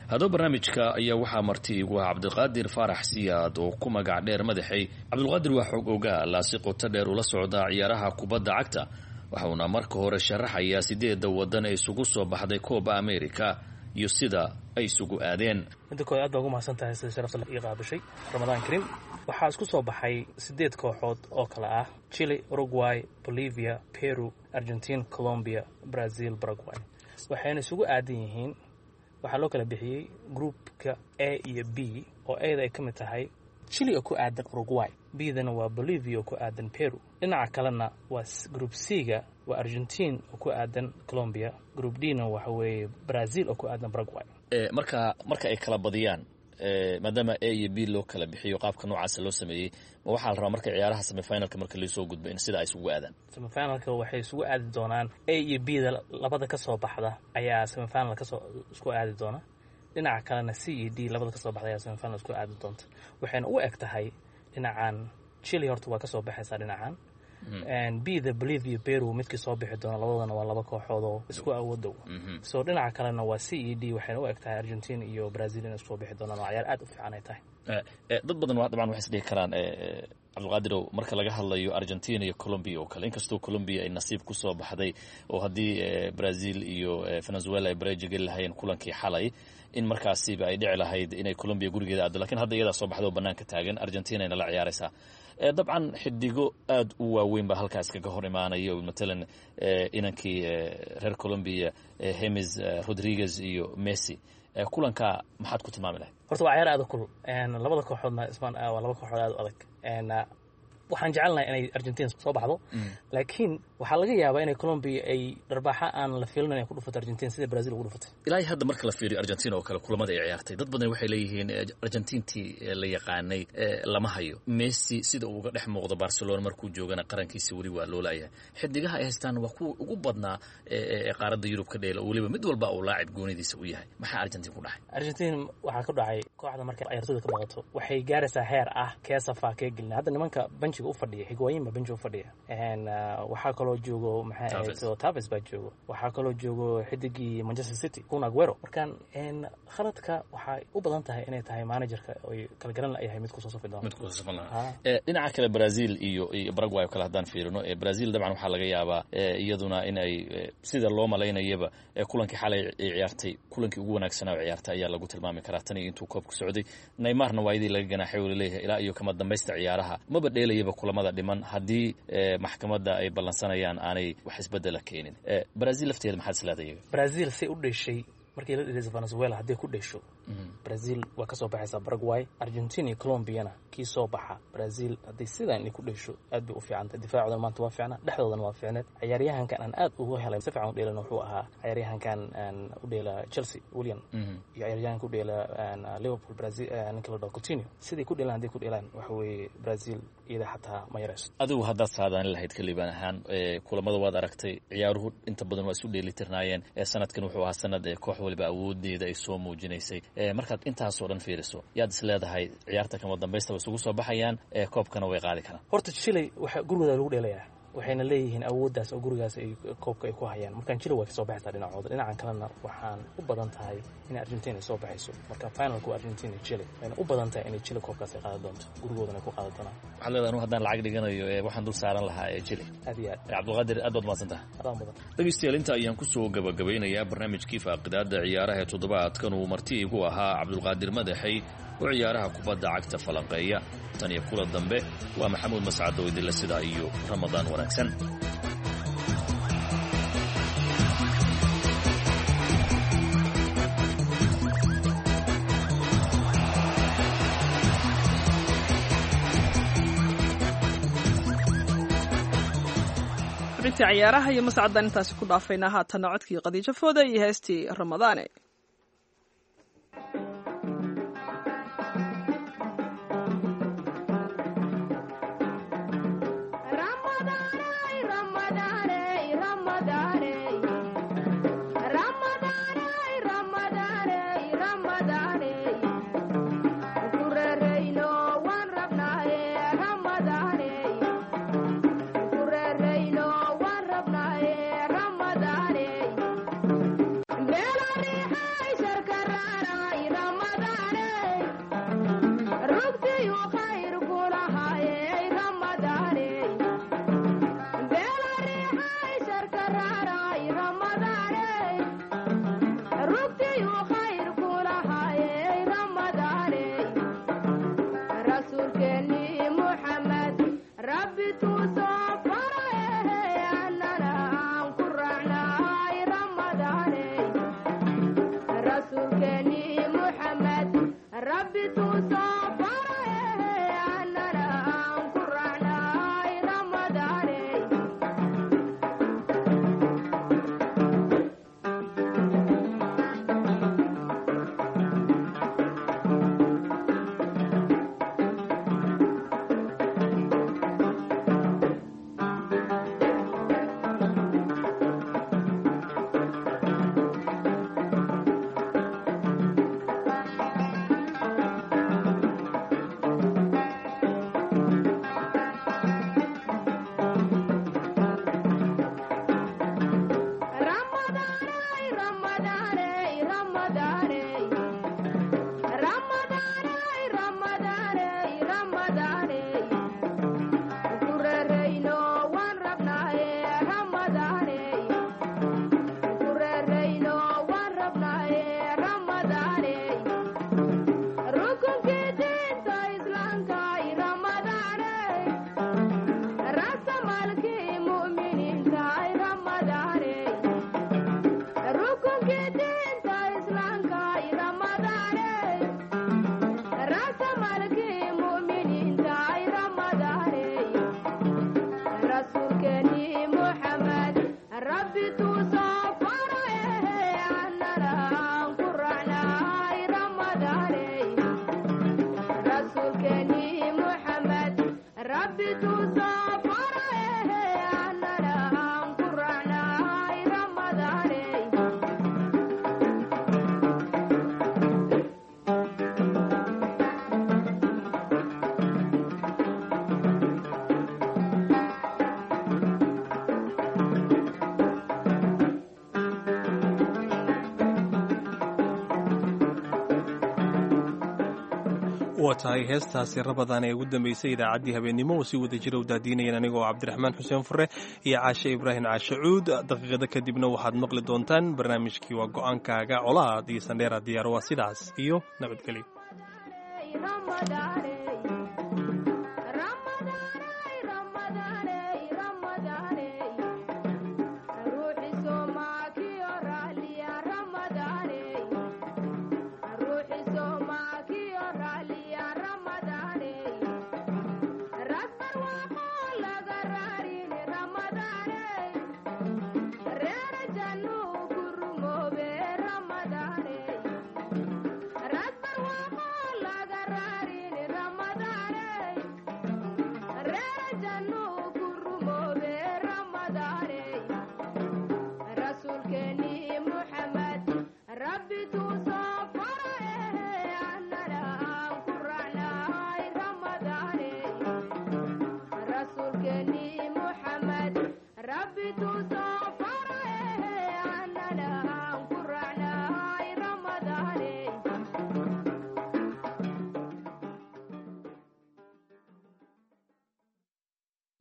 Haddaba barnaamijka ayaa waxaa marti igu ah Cabdiqaadir Faarax Siyaad oo ku magac dheer Madaxey. Cabdulqaadir waa xog ogaal si qoto dheer ula socda ciyaaraha kubadda cagta, waxauna marka hore sharaxayaa sideedda waddan ee isugu soo baxday Coba America iyo sida ay isugu aadeen.
Midda koowaad, aad baa ugu mahadsan tahay sida sharafta ii qaabishay. Ramadaan Karim. Waxaa isku soo baxay sideed kooxood oo kale ah Chile, Uruguay, Bolivia, Peru, Argentine, Colombia, Brazil, Paraguay. Waxayna isugu aadan yihiin, waxaa loo kala bixiyey groupka A iyo B, oo A-da ay ka mid tahay Chile oo ku aadan Uruguay, B-dana waa Bolivia oo ku aadan Peru. Dhinaca kalena waa group C-ga, waa Argentine oo ku aadan Colombia, group D-na waxa weeye Brazil oo ku aadan Paraguay.
Marka marka ay kala badiyaan, maadaama A iyo B loo kala bixiyo qaabka noocaasa loo sameeyey, ma waxaa la rabaa marka ciyaaraha semifinalka marka laisoo gudbo in sida ay isugu aadaan?
Semifinalka waxay isugu aadi doonaan A iyo B da labada ka soo baxda ayaa semifinal kasoo isku aadi doona. Dhinaca kalena C iyo D labada kasoo baxda ayaa semifinal isku aadi doonta. Waxayna u eg tahay dhinacan Chile horta waa kasoo baxaysaa, dhinacan B da Bolivia, Peru midkii soo bixi doona, labadana waa laba kooxood oo isku awoodow. So dhinaca kalena waa C e D, waxayna u eg tahay Argentina iyo Brazil inay isku soo bixi doonaan, oo ciyaar aad u fiican ay tahay.
Dad badan waa dabcan waxay isdhihi karaan, Cabdulqaadirow, marka laga hadlayo Argentina iyo Colombia oo kale, inkastoo Colombia ay nasiib ku soo baxday oo haddii Brazil iyo Venezuela ay bareeji geli lahayeen kulankii xalay in markaasiba ay dhici lahayd inay Colombia gurigeeda aado, lakiin hadda iyadaa soo baxda oo banaanka taagan, Argentina ayna la ciyaaraysaa. Dabcan xidigo aad u waaweyn baa halkaas kaga hor imaanaya, matalan inankii reer Colombia James Rodriguez iyo Messi. Kulanka maxaad ku tilmaami lahayd?
Horta waa ciyaar aad u kulul, labada kooxoodna ismaan waa laba kooxood aad u adag. Waxaan jecelnahay inay Argentina soo baxdo, laakiin waxaa laga yaabaa inay Colombia ay dharbaaxa aan la filin inay ku dhufato Argentina sida Brazil ugu dhufatay.
Ilaa hadda marka la fiiriyo Argentina oo kale kulamada ay ciyaartay, dad badan waxay leeyihiin Argentintii la yaqaanay lama hayo. Messi sida uu uga dhex muuqdo Barcelona markuu joogana qarankiisa weli waa loo laayahay. Xidigaha ay haystaan waa kuwa ugu badnaa ee qaaradda Yurub ka dheela, weliba mid walba uu laacib goonidiisa u yahay. Maxaa Argentina ku dhacay?
Argentina waxaa ku dhacay kooxda markay ciyaartooyda ka baqato waxay gaaraysaa heer ah kee safaa kee gelina. Hadda nimanka benchiga u fadhiya, Higuain baa benchiga u fadhiya, waxaa kaloo joogo maxay ahayd Tevez baa joogo, waxaa kaloo joogo xidigii Manchester City Kun Aguero. Markaan khaladka waxay u badan tahay inay tahay managerka oy kala garan layahay mid kusoo safi doono.
Mid kusoo safan lahaa. Dhinaca kale Brazil iyo iyo Paraguay oo kale haddaan fiirino, Brazil dabcan waxaa laga yaabaa iyaduna in ay sida loo malaynayaba kulankii xalay ay ciyaartay kulankii ugu wanaagsanaa oo ciyaartay ayaa lagu tilmaami karaa tan iyo intuu koobku socday. Neymarna waa iyadii laga ganaaxay oo laleeyahay ilaa iyo kama dambaysta ciyaaraha maba dheelayaba. weliba kulamada dhiman haddii maxkamadda ay ballansanayaan aanay wax isbedela keenin. Brazil lafteeda maxaad isleedahay iyaga?
Brazil say u dheshay markii la dhelaysa Venezuela, hadday ku dhesho Brazil waa ka soo baxaysaa Paraguay. Argentina iyo Colombiana kii soo baxa, Brazil hadday sidan ay ku dhesho aad bay u fiicantay. Difaacoodana maanta waa fiicnaa, dhexdoodana waa fiicneed. Ciyaaryahankan aan aad ugu helay si fiican u dheelana wuxuu ahaa ciyaaryahankan u dheela Chelsea, William, iyo ciyaaryahanka u dheela Liverpool, Brazil, ninka la dhaho Coutinho. Siday ku dheelaan hadday ku dheelaan, waxa weeye Brazil iyada xataa ma yarayso.
Adigu haddaad saadaan lahayd kaliibaan ahaan, kulamada waad aragtay, ciyaaruhu inta badan waa isu dheelitirnaayeen. Sanadkan wuxuu ahaa sanad koox waliba awoodeeda ay soo muujinaysay. Markaad intaasoo dhan fiiriso, yaad is leedahay ciyaarta kama dambaysta way isugu soo baxayaan, koobkana way qaadi karaan?
Horta Chile waxa gurigooda lagu dheelayaa, waxayna leeyihiin awooddaas oo gurigaas ay koobka ay ku hayaan. Markaan Chile way ka soo baxaysaa dhinacooda. Dhinacan kalena waxaan u badan tahay in Argentina ay soo baxayso. Marka finalku waa Argentina iyo Chile, wayna u badan tahay inay Chile koobkaas ay qaadan doonto, gurigoodana ay ku qaadan doonaan.
Waxaad leedahay anu haddaan lacag dhiganayo waxaan dul saaran lahaa ee Chile.
Aad iyo aad.
Cabdulqaadir, aad baad mahadsan tahay.
Adaan badan.
Dhegeystayaal, inta ayaan kusoo gabagabeynayaa barnaamijkii faaqidaada ciyaaraha ee toddobaadkan uu marti igu ahaa Cabdulqaadir Madaxey oo ciyaaraha kubadda cagta falanqeeya. Tan iyo kula dambe, waa Maxamuud Mascad oo idinla sidaa iyo Ramadaan wanaagsan.
Xubintii ciyaaraha iyo mascaddan intaasi ku dhaafaynaa. Haatanna codkii Qadiijo Fooda iyo heestii Ramadaane.
Waa tahay, heestaasi Rabadaan ee ugu dambeysay idaacaddii habeennimo oo si wada jira u daadiinayeen anigoo Cabdiraxmaan Xuseen Fure iyo Caashe Ibraahim Caashe Cuud. Daqiiqada kadibna waxaad maqli doontaan barnaamijkii waa go'aankaaga, colaad iyo sandheera diyaaro. Waa sidaas iyo nabadgelyo.
Rasuulkeeni Muxamed, Rabbi.